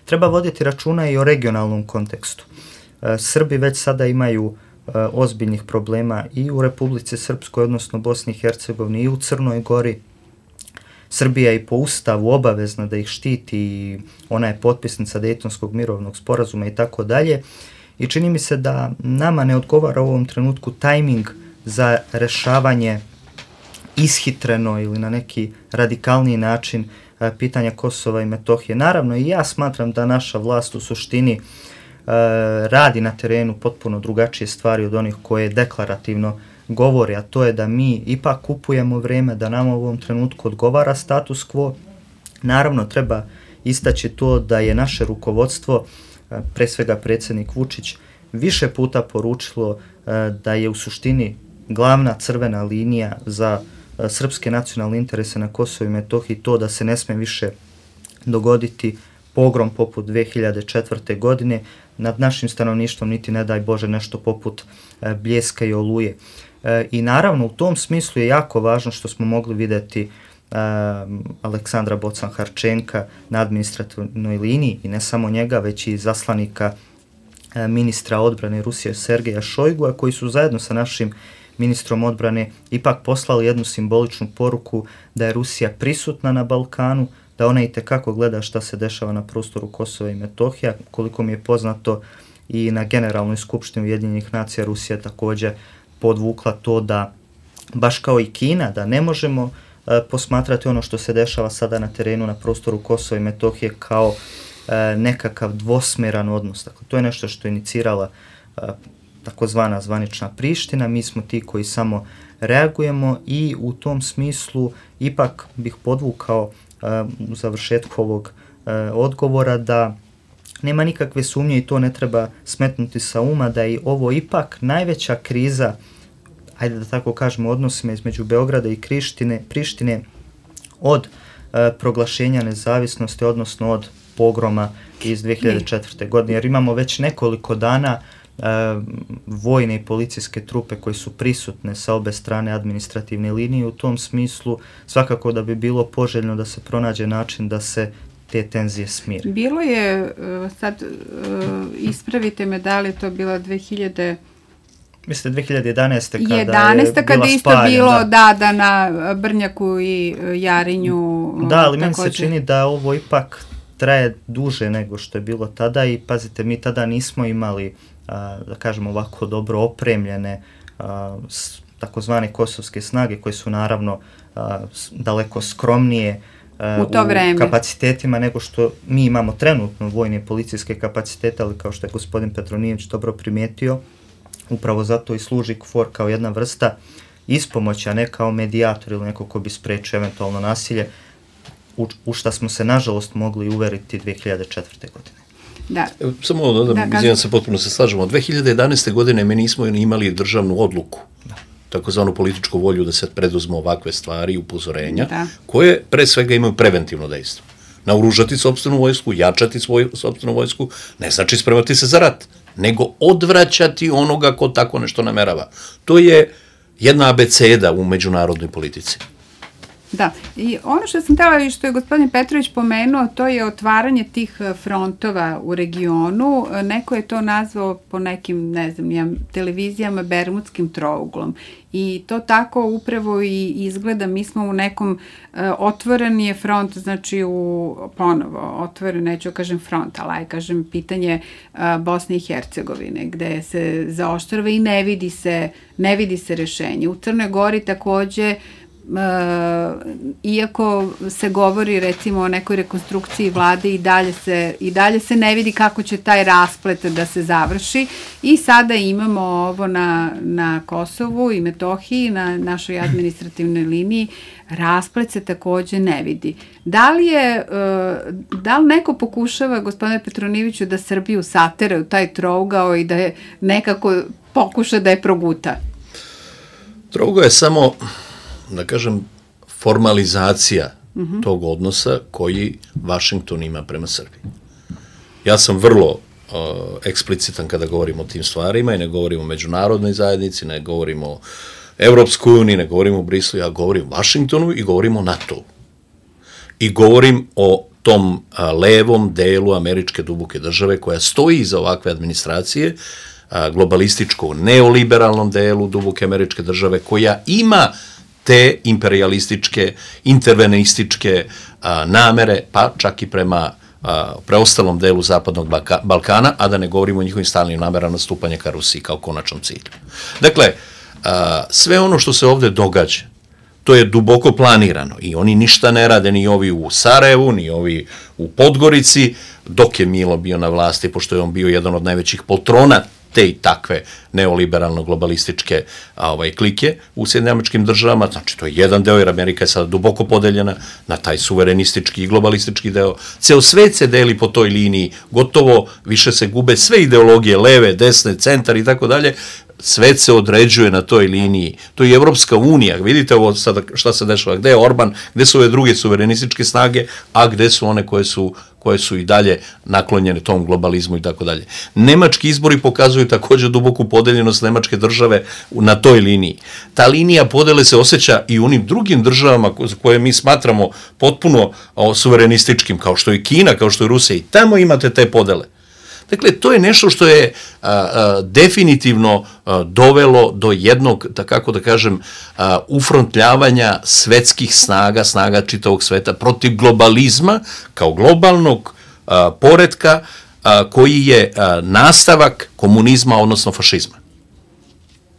Treba voditi računa i o regionalnom kontekstu. Srbi već sada imaju ozbiljnih problema i u Republici Srpskoj, odnosno Bosni i Hercegovini, i u Crnoj Gori. Srbija je i po ustavu obavezna da ih štiti i ona je potpisnica Dejtonskog mirovnog sporazuma i tako dalje. I čini mi se da nama ne odgovara u ovom trenutku tajming za rešavanje ishitreno ili na neki radikalniji način pitanja Kosova i Metohije. Naravno, i ja smatram da naša vlast u suštini radi na terenu potpuno drugačije stvari od onih koje deklarativno govori, a to je da mi ipak kupujemo vreme, da nam u ovom trenutku odgovara status quo. Naravno, treba istaći to da je naše rukovodstvo, pre svega predsjednik Vučić, više puta poručilo da je u suštini glavna crvena linija za srpske nacionalne interese na Kosovu i Metohiji to da se ne sme više dogoditi pogrom poput 2004. godine nad našim stanovništvom, niti ne daj Bože nešto poput Bljeska i Oluje. I naravno u tom smislu je jako važno što smo mogli vidjeti Aleksandra Bocan-Harčenka na administrativnoj liniji, i ne samo njega, već i zaslanika ministra odbrane Rusije Sergeja Šojgua, koji su zajedno sa našim ministrom odbrane ipak poslali jednu simboličnu poruku da je Rusija prisutna na Balkanu, da ona itekako gleda šta se dešava na prostoru Kosova i Metohija. Koliko mi je poznato, i na Generalnoj skupštini Ujedinjenih nacija Rusija također podvukla to da, baš kao i Kina, da ne možemo posmatrati ono što se dešava sada na terenu na prostoru Kosova i Metohije kao nekakav dvosmeran odnos. Dakle, to je nešto što je inicirala takozvana zvanična Priština, mi smo ti koji samo reagujemo, i u tom smislu ipak bih podvukao u završetku ovog odgovora da nema nikakve sumnje, i to ne treba smetnuti sa uma, da je ovo ipak najveća kriza, ajde da tako kažemo, odnosima između Beograda i Prištine od proglašenja nezavisnosti, odnosno od pogroma iz 2004. godine, jer imamo već nekoliko dana vojne i policijske trupe koje su prisutne sa obe strane administrativne linije. U tom smislu svakako da bi bilo poželjno da se pronađe način da se te tenzije smire. Bilo je, sad ispravite me, da li je to bila 2011. Mislim 2011. kada je isto bilo da na Brnjaku i Jarinju. Da, ali meni se čini da ovo ipak traje duže nego što je bilo tada, i pazite, mi tada nismo imali da kažemo ovako dobro opremljene takozvane kosovske snage, koje su naravno daleko skromnije u kapacitetima nego što mi imamo trenutno vojne i policijske kapacitete, ali kao što je gospodin Petronijević dobro primijetio, upravo zato i služi KFOR kao jedna vrsta ispomoći, a ne kao medijator ili neko ko bi sprečio eventualno nasilje, u šta smo se nažalost mogli uveriti 2004. godine. Da. Samo da se potpuno se slažemo. Od 2011. godine mi nismo imali državnu odluku, takozvanu političku volju da se preduzmu ovakve stvari i upozorenja, koje pre svega imaju preventivno dejstvo. Naoružati sopstvenu vojsku, jačati svoju sopstvenu vojsku, ne znači spremati se za rat, nego odvraćati onoga ko tako nešto namerava. To je jedna abeceda u međunarodnoj politici. Da, i ono što sam htjela i što je gospodin Petrović pomenuo, to je otvaranje tih frontova u regionu. Neko je to nazvao po nekim, ne znam, televizijama Bermudskim trouglom. I to tako upravo i izgleda. Mi smo u nekom, otvoren je front, znači ponovo, otvoren, neću kažem front, ali kažem pitanje Bosne i Hercegovine, gde se zaoštrava i ne vidi se rešenje. U Crnoj Gori takođe, iako se govori recimo o nekoj rekonstrukciji vlade, i dalje se ne vidi kako će taj rasplet da se završi i sada imamo ovo na Kosovu i Metohiji, na našoj administrativnoj liniji, rasplet se takođe ne vidi. Da li neko pokušava, gospodine Petronijeviću, da Srbiju satera u taj trougao i da je nekako pokuša da je proguta? Trougao je samo, da kažem, formalizacija tog odnosa koji Vašington ima prema Srbiji. Ja sam vrlo eksplicitan kada govorim o tim stvarima i ne govorim o međunarodnoj zajednici, ne govorim o Evropskoj uniji, ne govorim o Brislu, ja govorim o Vašingtonu i govorim o NATO-u. I govorim o tom levom delu američke duboke države koja stoji iza ovakve administracije, globalističko neoliberalnom delu duboke američke države koja ima te imperialističke, intervenističke namere, pa čak i prema preostalom delu Zapadnog Balkana, a da ne govorimo o njihovim stalnim namerama stupanja ka Rusiji kao konačnom cilju. Dakle, sve ono što se ovde događa, to je duboko planirano i oni ništa ne rade, ni ovi u Sarajevu, ni ovi u Podgorici, dok je Milo bio na vlasti, pošto je on bio jedan od najvećih poltrona te i takve neoliberalno-globalističke klike u Sjedinjenim Američkim Državama, znači to je jedan deo, jer Amerika je sada duboko podeljena na taj suverenistički i globalistički deo. Ceo svet se deli po toj liniji, gotovo više se gube sve ideologije, leve, desne, centar i tako dalje, svet se određuje na toj liniji. To je Evropska unija, vidite ovo sada šta se dešava, gde je Orban, gde su ove druge suverenističke snage, a gde su one koje su i dalje naklonjene tom globalizmu i tako dalje. Nemački izbori pokazuju također duboku podeljenost nemačke države na toj liniji. Ta linija podele se osjeća i u onim drugim državama koje mi smatramo potpuno suverenističkim, kao što je Kina, kao što je Rusija, i tamo imate te podele. Dakle, to je nešto što je definitivno dovelo do jednog, kako da kažem, ufrontljavanja svetskih snaga čitavog sveta protiv globalizma kao globalnog poretka koji je nastavak komunizma, odnosno fašizma.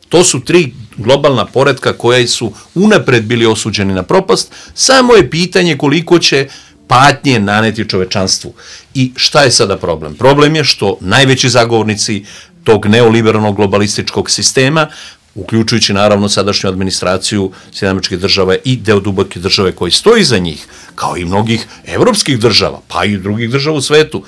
To su tri globalna poretka koja su unapred bili osuđeni na propast, samo je pitanje koliko će patnje naneti čovečanstvu. I šta je sada problem? Problem je što najveći zagovornici tog neoliberalnog globalističkog sistema, uključujući naravno sadašnju administraciju Sjedinjenih Američkih Država i deo duboke države koji stoji iza njih, kao i mnogih evropskih država, pa i drugih država u svetu,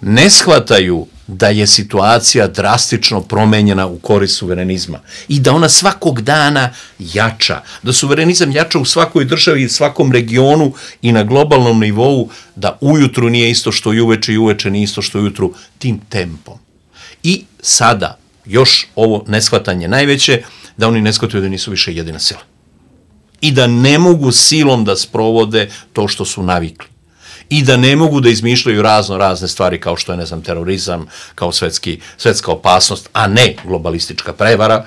ne shvataju da je situacija drastično promenjena u korist suverenizma i da ona svakog dana jača, da suverenizam jača u svakoj državi i svakom regionu i na globalnom nivou, da ujutru nije isto što i uveče i uveče nije isto što ujutru, tim tempom. I sada, još ovo neshvatanje najveće, da oni ne shvataju da nisu više jedina sila i da ne mogu silom da sprovode to što su navikli. I da ne mogu da izmišljaju razne stvari kao što je, ne znam, terorizam, kao svetska opasnost, a ne globalistička prevara.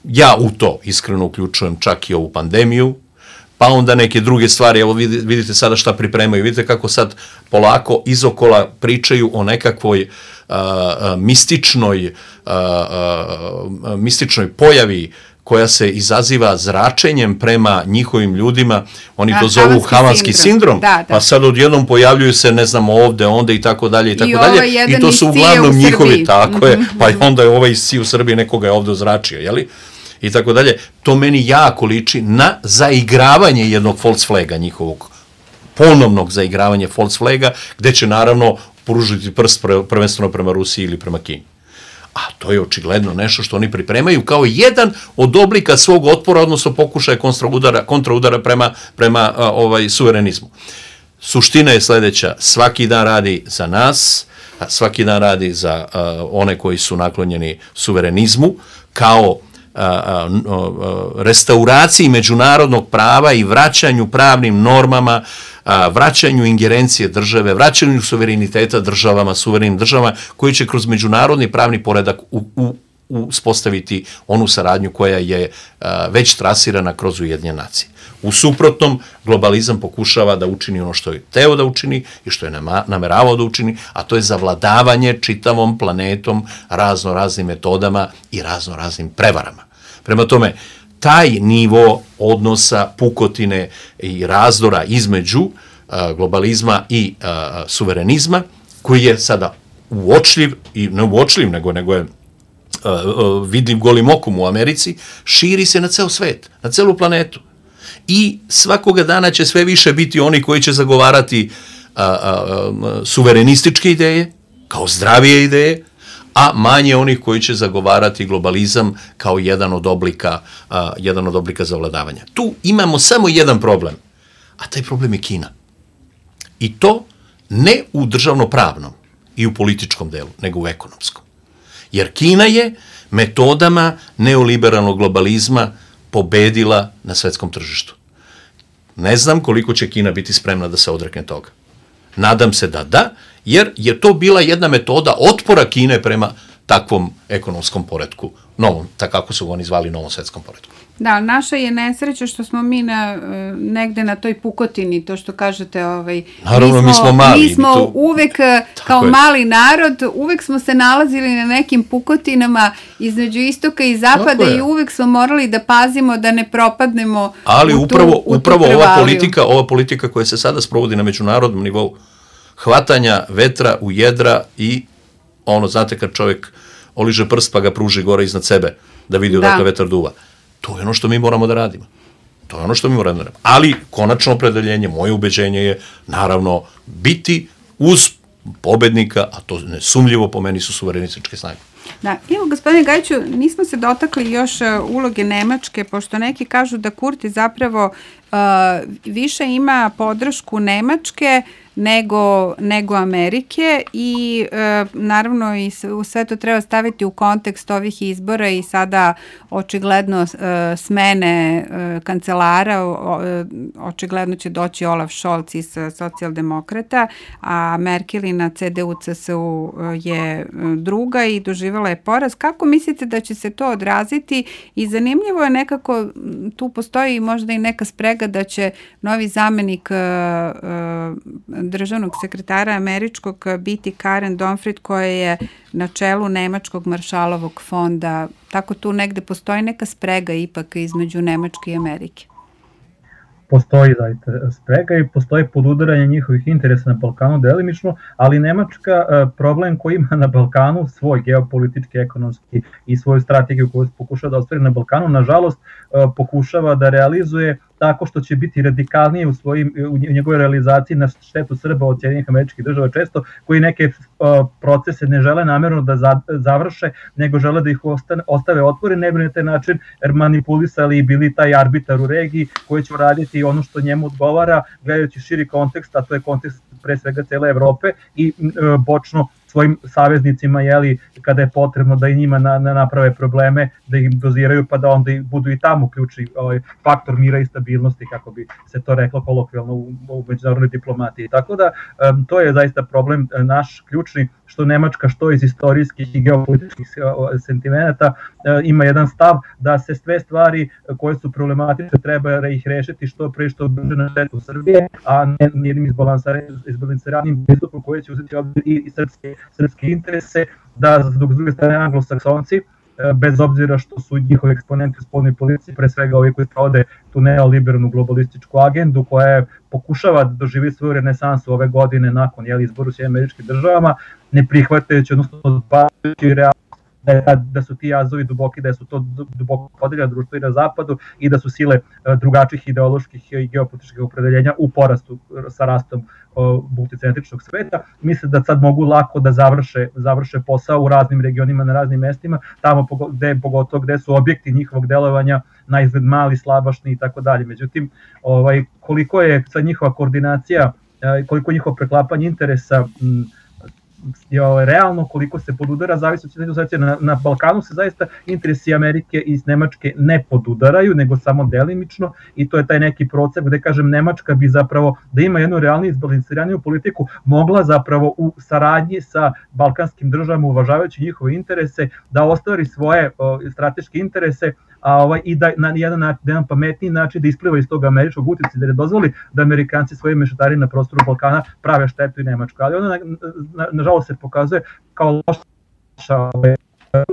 Ja u to iskreno uključujem čak i ovu pandemiju, pa onda neke druge stvari, evo vidite sada šta pripremaju, vidite kako sad polako izokola pričaju o nekakvoj mističnoj pojavi koja se izaziva zračenjem prema njihovim ljudima, oni to zovu havanski sindrom, pa sad odjednom pojavljuju se, ne znam, ovde, onda i tako dalje, i to su uglavnom njihovi, tako je, pa onda je ovaj isci u Srbiji, nekoga je ovde ozračio, jeli? I tako dalje. To meni jako liči na zaigravanje jednog false flaga njihovog, ponovnog zaigravanja false flaga, gde će naravno pružiti prst prvenstveno prema Rusiji ili prema Kini. A to je očigledno nešto što oni pripremaju kao jedan od oblika svog otpora, odnosno pokušaja kontraudara prema suverenizmu. Suština je sljedeća, svaki dan radi za nas, svaki dan radi za one koji su naklonjeni suverenizmu, kao restauraciji međunarodnog prava i vraćanju pravnim normama, vraćanju ingerencije države, vraćanju suvereniteta suverenim državama, koji će kroz međunarodni pravni poredak uspostaviti onu saradnju koja je već trasirana kroz Ujedinjene nacije. U suprotnom, globalizam pokušava da učini ono što je teo da učini i što je nameravao da učini, a to je zavladavanje čitavom planetom raznoraznim metodama i raznoraznim prevarama. Prema tome, taj nivo odnosa, pukotine i razdora između globalizma i suverenizma, koji je sada uočljiv, i ne uočljiv, nego je vidljiv golim okom u Americi, širi se na ceo svet, na celu planetu. I svakoga dana će sve više biti oni koji će zagovarati suverenističke ideje, kao zdravije ideje, a manje onih koji će zagovarati globalizam kao jedan od oblika zavladavanja. Tu imamo samo jedan problem, a taj problem je Kina. I to ne u državno-pravnom i u političkom delu, nego u ekonomskom. Jer Kina je metodama neoliberalnog globalizma pobedila na svetskom tržištu. Ne znam koliko će Kina biti spremna da se odrekne toga. Nadam se da, jer je to bila jedna metoda otpora Kine prema takvom ekonomskom poretku, novom, tako kako su oni zvali novom svetskom poretku. Da, naša je nesreća što smo mi negde na toj pukotini, to što kažete, naravno, mi smo mali. Mi smo uvek, kao mali narod, uvek smo se nalazili na nekim pukotinama između istoka i zapada i uvek smo morali da pazimo da ne propadnemo u tu upravo ova politika koja se sada sprovodi na međunarodnom nivou, hvatanja vetra u jedra i znate kad čovjek oliže prst pa ga pruži gore iznad sebe da vidi odakle vetar duva. To je ono što mi moramo da radimo. Ali konačno opredeljenje, moje ubeđenje je naravno biti uz pobednika, a to nesumljivo po meni su suverenističke snage. Da, evo gospodine Gajiću, nismo se dotakli još uloge Nemačke, pošto neki kažu da Kurti zapravo više ima podršku Nemačke nego Amerike i naravno i sve to treba staviti u kontekst ovih izbora i sada očigledno smene kancelara, očigledno će doći Olaf Scholz iz socijaldemokrata, a Merkelina CDU-CSU je druga i doživjela je poraz. Kako mislite da će se to odraziti? I zanimljivo je nekako, tu postoji možda i neka sprega da će novi zamenik državnog sekretara američkog biti Karen Donfrid, koja je na čelu Nemačkog maršalovog fonda. Tako tu negde postoji neka sprega ipak između Nemačke i Amerike. Postoji zaista sprega i postoji podudaranje njihovih interesa na Balkanu delimično, ali Nemačka problem koji ima na Balkanu, svoj geopolitički, ekonomski i svoju strategiju koju pokušava da ostvari na Balkanu, nažalost pokušava da realizuje tako što će biti radikalnije u njegovoj realizaciji na štetu Srba od Sjedinjenih Američkih Država često, koji neke procese ne žele namjerno da završe, nego žele da ih ostave otvorene, ne bi na taj način manipulisali i bili taj arbitar u regiji koji će uraditi ono što njemu odgovara, gledajući širi kontekst, a to je kontekst pre svega cele Evrope i bočno svojim saveznicima, kada je potrebno da i njima naprave probleme, da ih doziraju, pa da onda budu i tamo ključni faktor mira i stabilnosti, kako bi se to reklo kolokvijalno u međunarodnoj diplomatiji. Tako da to je zaista problem naš ključni, što Nemačka, što iz istorijskih i geopolitičkih sentimenata ima jedan stav da se sve stvari koje su problematične treba ih rešiti što pre što brže na štetu Srbije, a ne jednim izbalansiranim pristupom koji će uzeti obzir i srpske interese, da dok s druge strane anglosaksonci, bez obzira što su njihovi eksponenti u spoljnoj politici, pre svega ovi koji sprovode tu neoliberalnu globalističku agendu koja pokušava da doživi svoju renesansu ove godine nakon izboru u Sjedinjenim Američkim Državama, ne prihvatajući, odnosno odbacujući realnost da su ti jazovi duboki, da su to duboko podeljeno društvo i na zapadu i da su sile drugačijih ideoloških i geopolitičkih opredeljenja u porastu sa rastom multicentričnog sveta. Mislim da sad mogu lako da završe posao u raznim regionima, na raznim mestima, tamo pogotovo gde su objekti njihovog delovanja na izgled mali, slabašni i tako dalje. Međutim, koliko je sad njihova koordinacija, koliko je njihovo preklapanje interesa realno, koliko se podudara, zavisi od situacije. Na Balkanu se zaista interesi Amerike i Nemačke ne podudaraju, nego samo delimično, i to je taj neki proces gde, kažem, Nemačka bi zapravo, da ima jednu realniju izbalansiraniju politiku, mogla zapravo u saradnji sa balkanskim državama, uvažavajući njihove interese, da ostvari svoje strateške interese, i da na jedan pametniji način da ispliva iz tog američkog uticaja, da ne dozvoli da Amerikanci svojim mešetari na prostoru Balkana prave štetu i Nemačku. Ali ona nažalost se pokazuje kao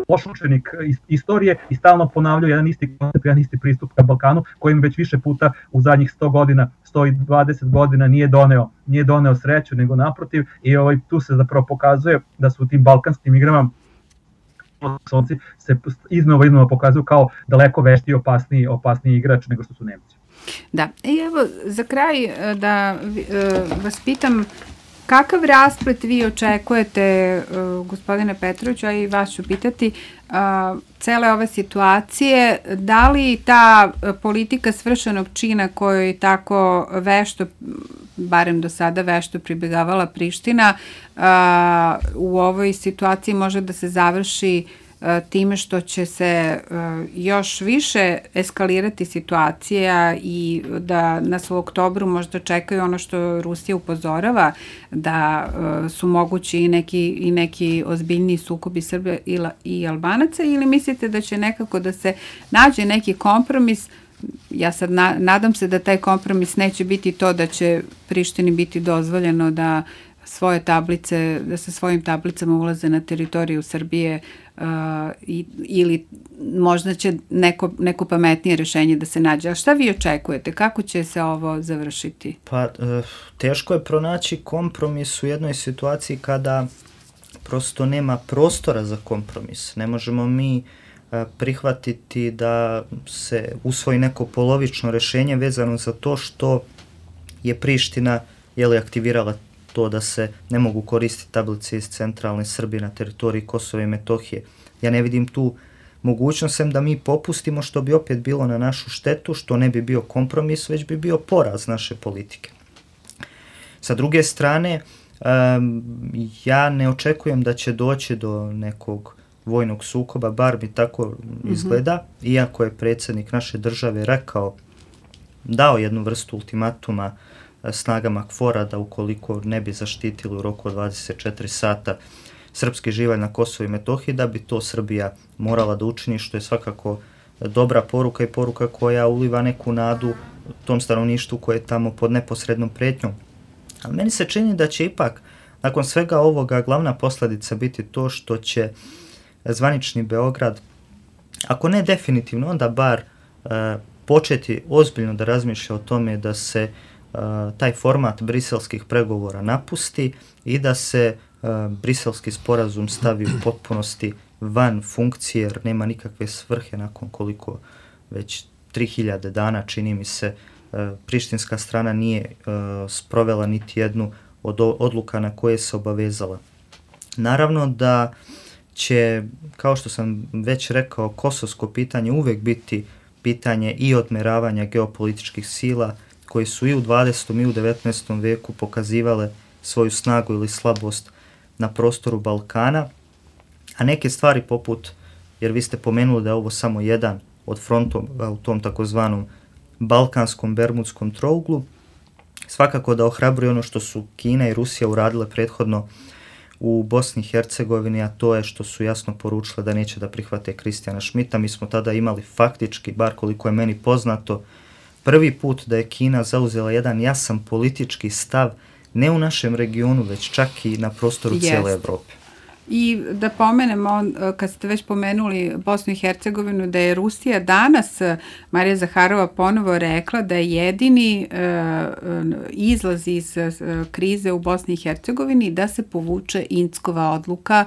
loš učenik istorije i stalno ponavljaju jedan isti koncept, jedan isti pristup ka Balkanu, kojim već više puta u zadnjih 100 godina, 120 godina nije doneo sreću, nego naprotiv, i tu se zapravo pokazuje da su u tim balkanskim igrama se iznova pokazuju kao daleko veštiji i opasniji igrač nego što su Nemci. Da, i evo za kraj da vas pitam, kakav rasplet vi očekujete, gospodine Petroviću, a i vas ću pitati, cele ove situacije, da li ta politika svršenog čina koju je tako vešto, barem do sada vešto pribjegavala Priština, u ovoj situaciji može da se završi time što će se još više eskalirati situacija i da nas u oktobru možda čekaju ono što Rusija upozorava, da su mogući i neki ozbiljniji sukobi Srba i Albanaca, ili mislite da će nekako da se nađe neki kompromis? Ja sad nadam se da taj kompromis neće biti to da će Prištini biti dozvoljeno da sa svojim tablicama ulaze na teritoriju Srbije, ili možda će neko pametnije rešenje da se nađe. A šta vi očekujete? Kako će se ovo završiti? Pa, teško je pronaći kompromis u jednoj situaciji kada prosto nema prostora za kompromis. Ne možemo mi prihvatiti da se usvoji neko polovično rešenje vezano za to što je Priština aktivirala to da se ne mogu koristiti tablice iz centralne Srbije na teritoriji Kosova i Metohije. Ja ne vidim tu mogućnost da mi popustimo, što bi opet bilo na našu štetu, što ne bi bio kompromis, već bi bio poraz naše politike. Sa druge strane, ja ne očekujem da će doći do nekog vojnog sukoba, bar mi tako izgleda, iako je predsjednik naše države dao jednu vrstu ultimatuma snagama KFOR-a da ukoliko ne bi zaštitili u roku od 24 sata srpski živalj na Kosovo i Metohiji, da bi to Srbija morala da učini, što je svakako dobra poruka i poruka koja uliva neku nadu tom stanovništvu koje je tamo pod neposrednom pretnjom. Ali meni se čini da će ipak nakon svega ovoga glavna posljedica biti to što će zvanični Beograd, ako ne definitivno, onda bar početi ozbiljno da razmišlja o tome da se taj format briselskih pregovora napusti i da se briselski sporazum stavi u potpunosti van funkcije, jer nema nikakve svrhe nakon koliko već 3000 dana, čini mi se, prištinska strana nije sprovela niti jednu od odluka na koje se obavezala. Naravno da će, kao što sam već rekao, kosovsko pitanje uvek biti pitanje i odmeravanja geopolitičkih sila koji su i u 20. i u 19. veku pokazivale svoju snagu ili slabost na prostoru Balkana, a neke stvari poput, jer vi ste pomenuli da je ovo samo jedan od frontova u tom takozvanom balkanskom bermudskom trouglu, svakako da ohrabruje ono što su Kina i Rusija uradile prethodno u Bosni i Hercegovini, a to je što su jasno poručile da neće da prihvate Kristijana Šmita. Mi smo tada imali faktički, bar koliko je meni poznato, prvi put da je Kina zauzela jedan jasan politički stav, ne u našem regionu, već čak i na prostoru cijele Evrope. I da pomenemo, kad ste već pomenuli Bosnu i Hercegovinu, da je Rusija danas, Marija Zaharova ponovo rekla da je jedini izlaz iz krize u Bosni i Hercegovini da se povuče Inckova odluka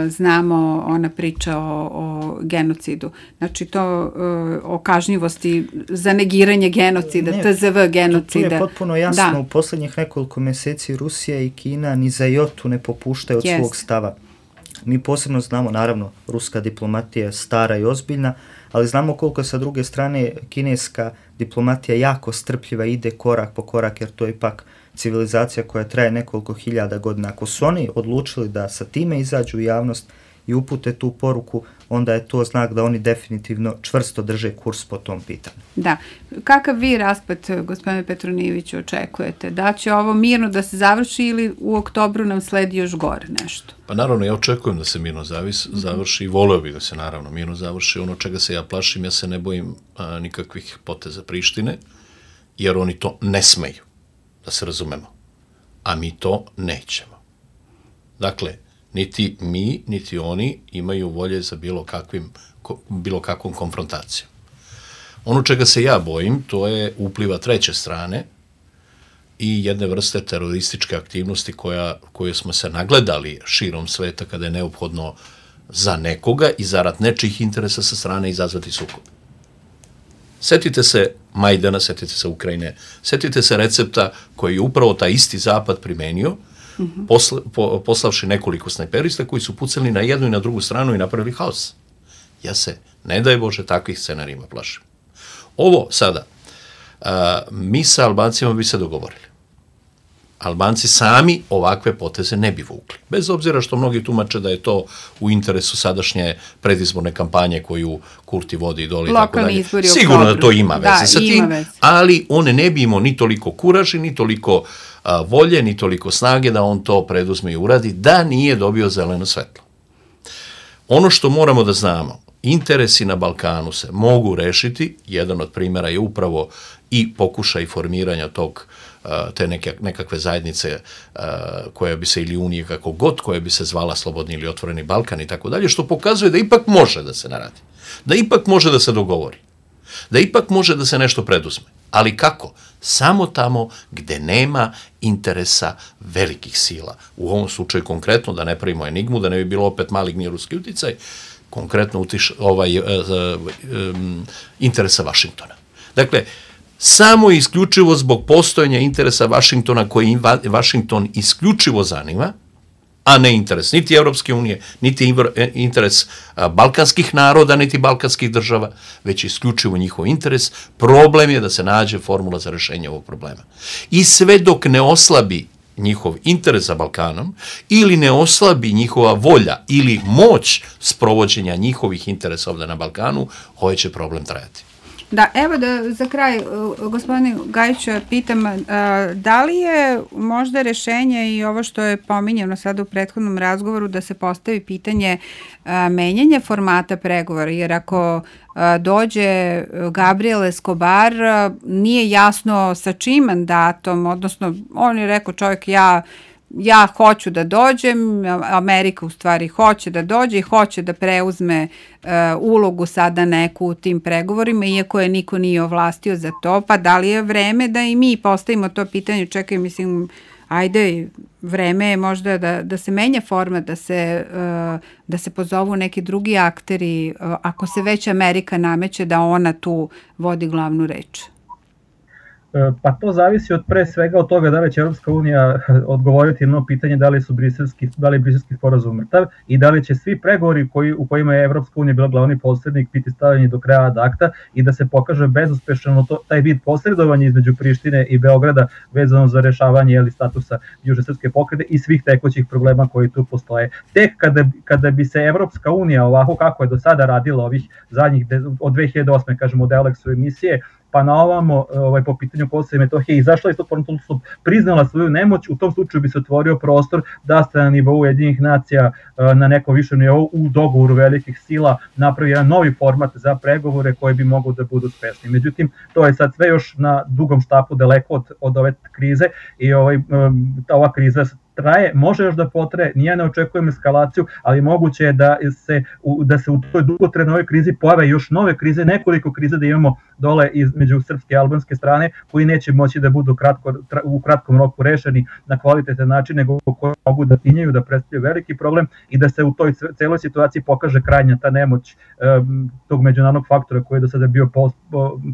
znamo ona priča o genocidu. Znači to o kažnjivosti za negiranje genocida, TZV genocida. Tu je potpuno jasno, u posljednjih nekoliko mjeseci Rusija i Kina ni za jotu ne popuštaju od svog stava. Mi posebno znamo, naravno, ruska diplomatija je stara i ozbiljna, ali znamo koliko sa druge strane kineska diplomatija jako strpljiva, ide korak po korak, jer to je ipak civilizacija koja traje nekoliko hiljada godina. Ako su oni odlučili da sa time izađu u javnost i upute tu poruku, onda je to znak da oni definitivno čvrsto drže kurs po tom pitanju. Da. Kakav vi raspad, gospodine Petronijeviću, očekujete? Da će ovo mirno da se završi ili u oktobru nam sledi još gore nešto? Pa naravno, ja očekujem da se mirno završi i voleo bih da se naravno mirno završi. Ono čega se ja plašim, ja se ne bojim nikakvih poteza Prištine, jer oni to ne smeju, da se razumemo. A mi to nećemo. Dakle, niti mi, niti oni imaju volje za bilo kakvom konfrontacijom. Ono čega se ja bojim, to je upliva treće strane i jedne vrste terorističke aktivnosti koje smo se nagledali širom sveta kada je neophodno za nekoga i zarad nečijih interesa sa strane izazvati sukob. Setite se Majdana, setite se Ukrajine, setite se recepta koji je upravo taj isti zapad primenio, poslavši nekoliko snajperista koji su pucali na jednu i na drugu stranu i napravili haos. Ja se, ne daj Bože, takvih scenarijima plašim. Ovo sada, mi sa Albancima bi se dogovorili. Albanci sami ovakve poteze ne bi vukli. Bez obzira što mnogi tumače da je to u interesu sadašnje predizborne kampanje koju Kurti vodi dole i tako dalje. Sigurno da to ima veze sa tim, ali on ne bi imao ni toliko kuraži, ni toliko volje, ni toliko snage da on to preduzme i uradi, da nije dobio zeleno svetlo. Ono što moramo da znamo, interesi na Balkanu se mogu rešiti, jedan od primjera je upravo i pokušaj formiranja te nekakve zajednice koja bi se, ili unije kako god, koja bi se zvala Slobodni ili Otvoreni Balkan i tako dalje, što pokazuje da ipak može da se naradi, da ipak može da se dogovori, da ipak može da se nešto preduzme. Ali kako? Samo tamo gde nema interesa velikih sila. U ovom slučaju konkretno, da ne pravimo enigmu, da ne bi bilo opet maligni ruski uticaj, konkretno interesa Vašingtona. Dakle, samo isključivo zbog postojanja interesa Vašingtona koji Vašington isključivo zanima, a ne interes niti Evropske unije, niti interes balkanskih naroda, niti balkanskih država, već isključivo njihov interes. Problem je da se nađe formula za rešenje ovog problema. I sve dok ne oslabi njihov interes za Balkanom ili ne oslabi njihova volja ili moć sprovođenja njihovih interesa ovde na Balkanu, ovaj će problem trajati. Da, evo da za kraj, gospodine Gajiću, pitam, da li je možda rešenje i ovo što je pominjeno sada u prethodnom razgovoru, da se postavi pitanje menjanja formata pregovora, jer ako dođe Gabriel Escobar, nije jasno sa čim mandatom, odnosno on je rekao čovjek, ja hoću da dođem, Amerika u stvari hoće da dođe i hoće da preuzme ulogu sada neku u tim pregovorima, iako je niko nije ovlastio za to, pa da li je vreme da i mi postavimo to pitanje, čekaj, mislim, ajde, vreme je možda da se menja forma, da se pozovu neki drugi akteri, ako se već Amerika nameće da ona tu vodi glavnu reč. Pa to zavisi od pre svega od toga da li će Europska unija odgovoriti na pitanje da li je briselski sporazum mrtav i da li će svi pregovori u kojima je Europska unija bila glavni posrednik biti stavljeni do kraja ad akta i da se pokaže bezuspešno taj vid posredovanja između Prištine i Beograda vezano za rešavanje statusa južne srpske pokrajine i svih tekućih problema koji tu postoje. Tek kada bi se Europska unija ovako kako je do sada radila ovih zadnjih od 2008. kažemo od Eulexu emisije, pa na ovamo po pitanju Kosova i Metohije izašla iz tog formalnog, priznala svoju nemoć, u tom slučaju bi se otvorio prostor da se na nivou Ujedinjenih nacija na nekom višem nivou u dogovoru velikih sila napravi jedan novi format za pregovore koji bi mogu da budu uspešni. Međutim, to je sad sve još na dugom štapu daleko od ove krize i ova kriza traje, može još da potraje, nije ne očekujem eskalaciju, ali moguće je da se u toj dugotrajnoj krizi pojave još nove krize, nekoliko krize da imamo dole između srpske i albanske strane, koji neće moći da budu u kratkom roku rešeni na kvalitetan način, nego koji mogu da tinjaju, da predstavljaju veliki problem i da se u toj celoj situaciji pokaže krajnja ta nemoć tog međunarodnog faktora koji je do sada bio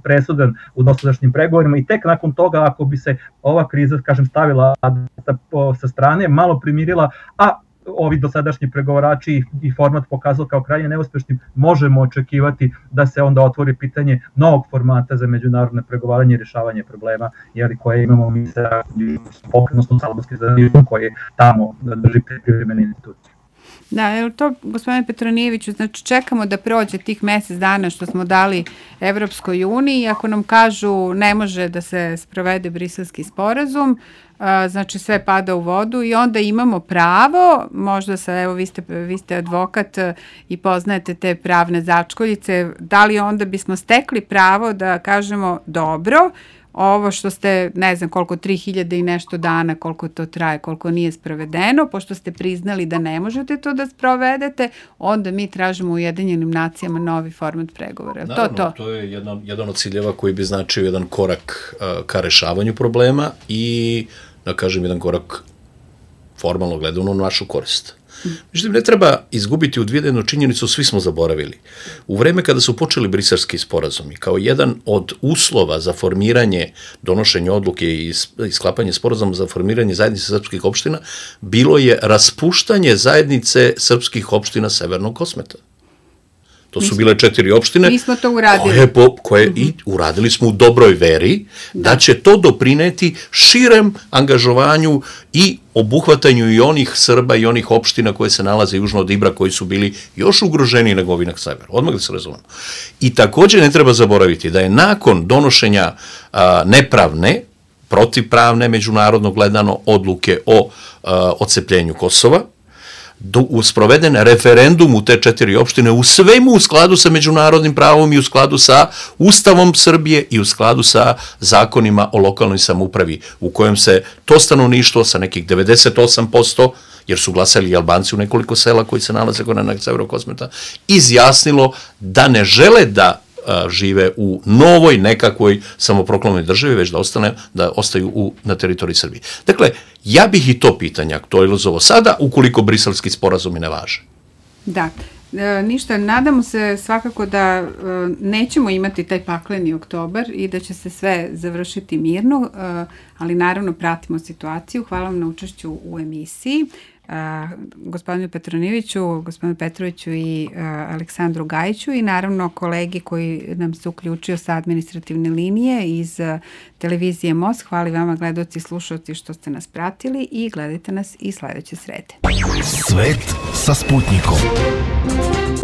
presudan u dosadašnjim pregovorima, i tek nakon toga, ako bi se ova kriza, kažem, stavila sa strane, malo primirila, a ovi dosadašnji pregovarači i format pokazao kao krajnje neuspešnim, možemo očekivati da se onda otvori pitanje novog formata za međunarodne pregovaranje i rješavanje problema, koje imamo mi sa pokrenosnom albanskim zajednicom koji tamo drži privremene institucije. Da, evo to, gospodine Petronijeviću, znači čekamo da prođe tih mesec dana što smo dali Evropskoj uniji, ako nam kažu ne može da se sprovede briselski sporazum, znači sve pada u vodu i onda imamo pravo, možda sa, evo vi ste advokat i poznajete te pravne začkoljice, da li onda bismo stekli pravo da kažemo dobro, ovo što ste, ne znam koliko, 3000 i nešto dana, koliko to traje, koliko nije sprovedeno, pošto ste priznali da ne možete to da sprovedete, onda mi tražimo u Ujedinjenim nacijama novi format pregovora. Naravno, to je jedan od ciljeva koji bi značio jedan korak ka rešavanju problema i, da kažem, jedan korak formalno gledano u našu korist. Međutim, ne treba izgubiti u vidu jednu činjenicu, svi smo zaboravili. U vreme kada su počeli briselski sporazumi, kao jedan od uslova za formiranje, donošenje odluke i sklapanje sporazuma za formiranje zajednice srpskih opština, bilo je raspuštanje zajednice srpskih opština Severnog Kosmeta. To su bile 4 opštine. Mi smo to uradili. Koje i uradili smo u dobroj veri, da će to doprineti širem angažovanju i obuhvatanju i onih Srba i onih opština koje se nalaze južno od Ibra, koji su bili još ugroženiji nego ovi na severu. Odmah da se razumemo. I također ne treba zaboraviti da je nakon donošenja nepravne, protivpravne, međunarodno gledano odluke o odcepljenju Kosova, sproveden referendum u te 4 opštine u svemu u skladu sa međunarodnim pravom i u skladu sa Ustavom Srbije i u skladu sa zakonima o lokalnoj samoupravi, u kojem se to stanovništvo sa nekih 98%, jer su glasali i Albanci u nekoliko sela koji se nalaze na severu Kosmeta, izjasnilo da ne žele da žive u novoj nekakvoj samoproklamnoj državi, već da ostaju na teritoriji Srbije. Dakle, ja bih i to pitanje aktualizovao sada, ukoliko briselski sporazumi ne važe. Da, ništa, nadamo se svakako da nećemo imati taj pakleni oktobar i da će se sve završiti mirno, ali naravno pratimo situaciju. Hvala vam na učešću u emisiji. Gospodinu Petronijeviću, gospodinu Petroviću i Aleksandru Gajiću i naravno kolegi koji nam se uključio sa administrativne linije iz televizije Most. Hvala vama, gledaoci i slušalci, što ste nas pratili i gledajte nas i sledeće srede. Svet sa Sputnikom.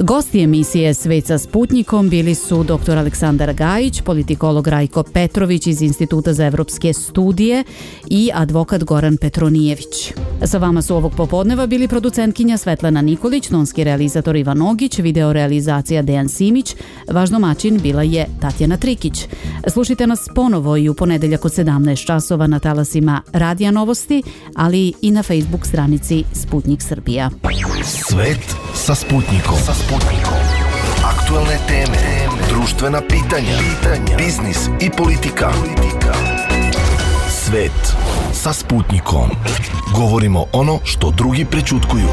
Gosti emisije Svet sa Sputnikom bili su dr. Aleksandar Gajić, politikolog Rajko Petrović iz Instituta za evropske studije i advokat Goran Petronijević. Sa vama su ovog popodneva bili producentkinja Svetlana Nikolić, tonski realizator Ivan Ogić, video realizacija Dejan Simić, vaš domaćin bila je Tatjana Trikić. Slušajte nas ponovo i u ponedeljak od 17 časova na talasima Radija Novosti, ali i na Facebook stranici Sputnik Srbija. Svet sa Sputnikom. Aktualne teme, društvena pitanja, biznis i politika. Svet sa Sputnikom. Govorimo ono što drugi prećutkuju.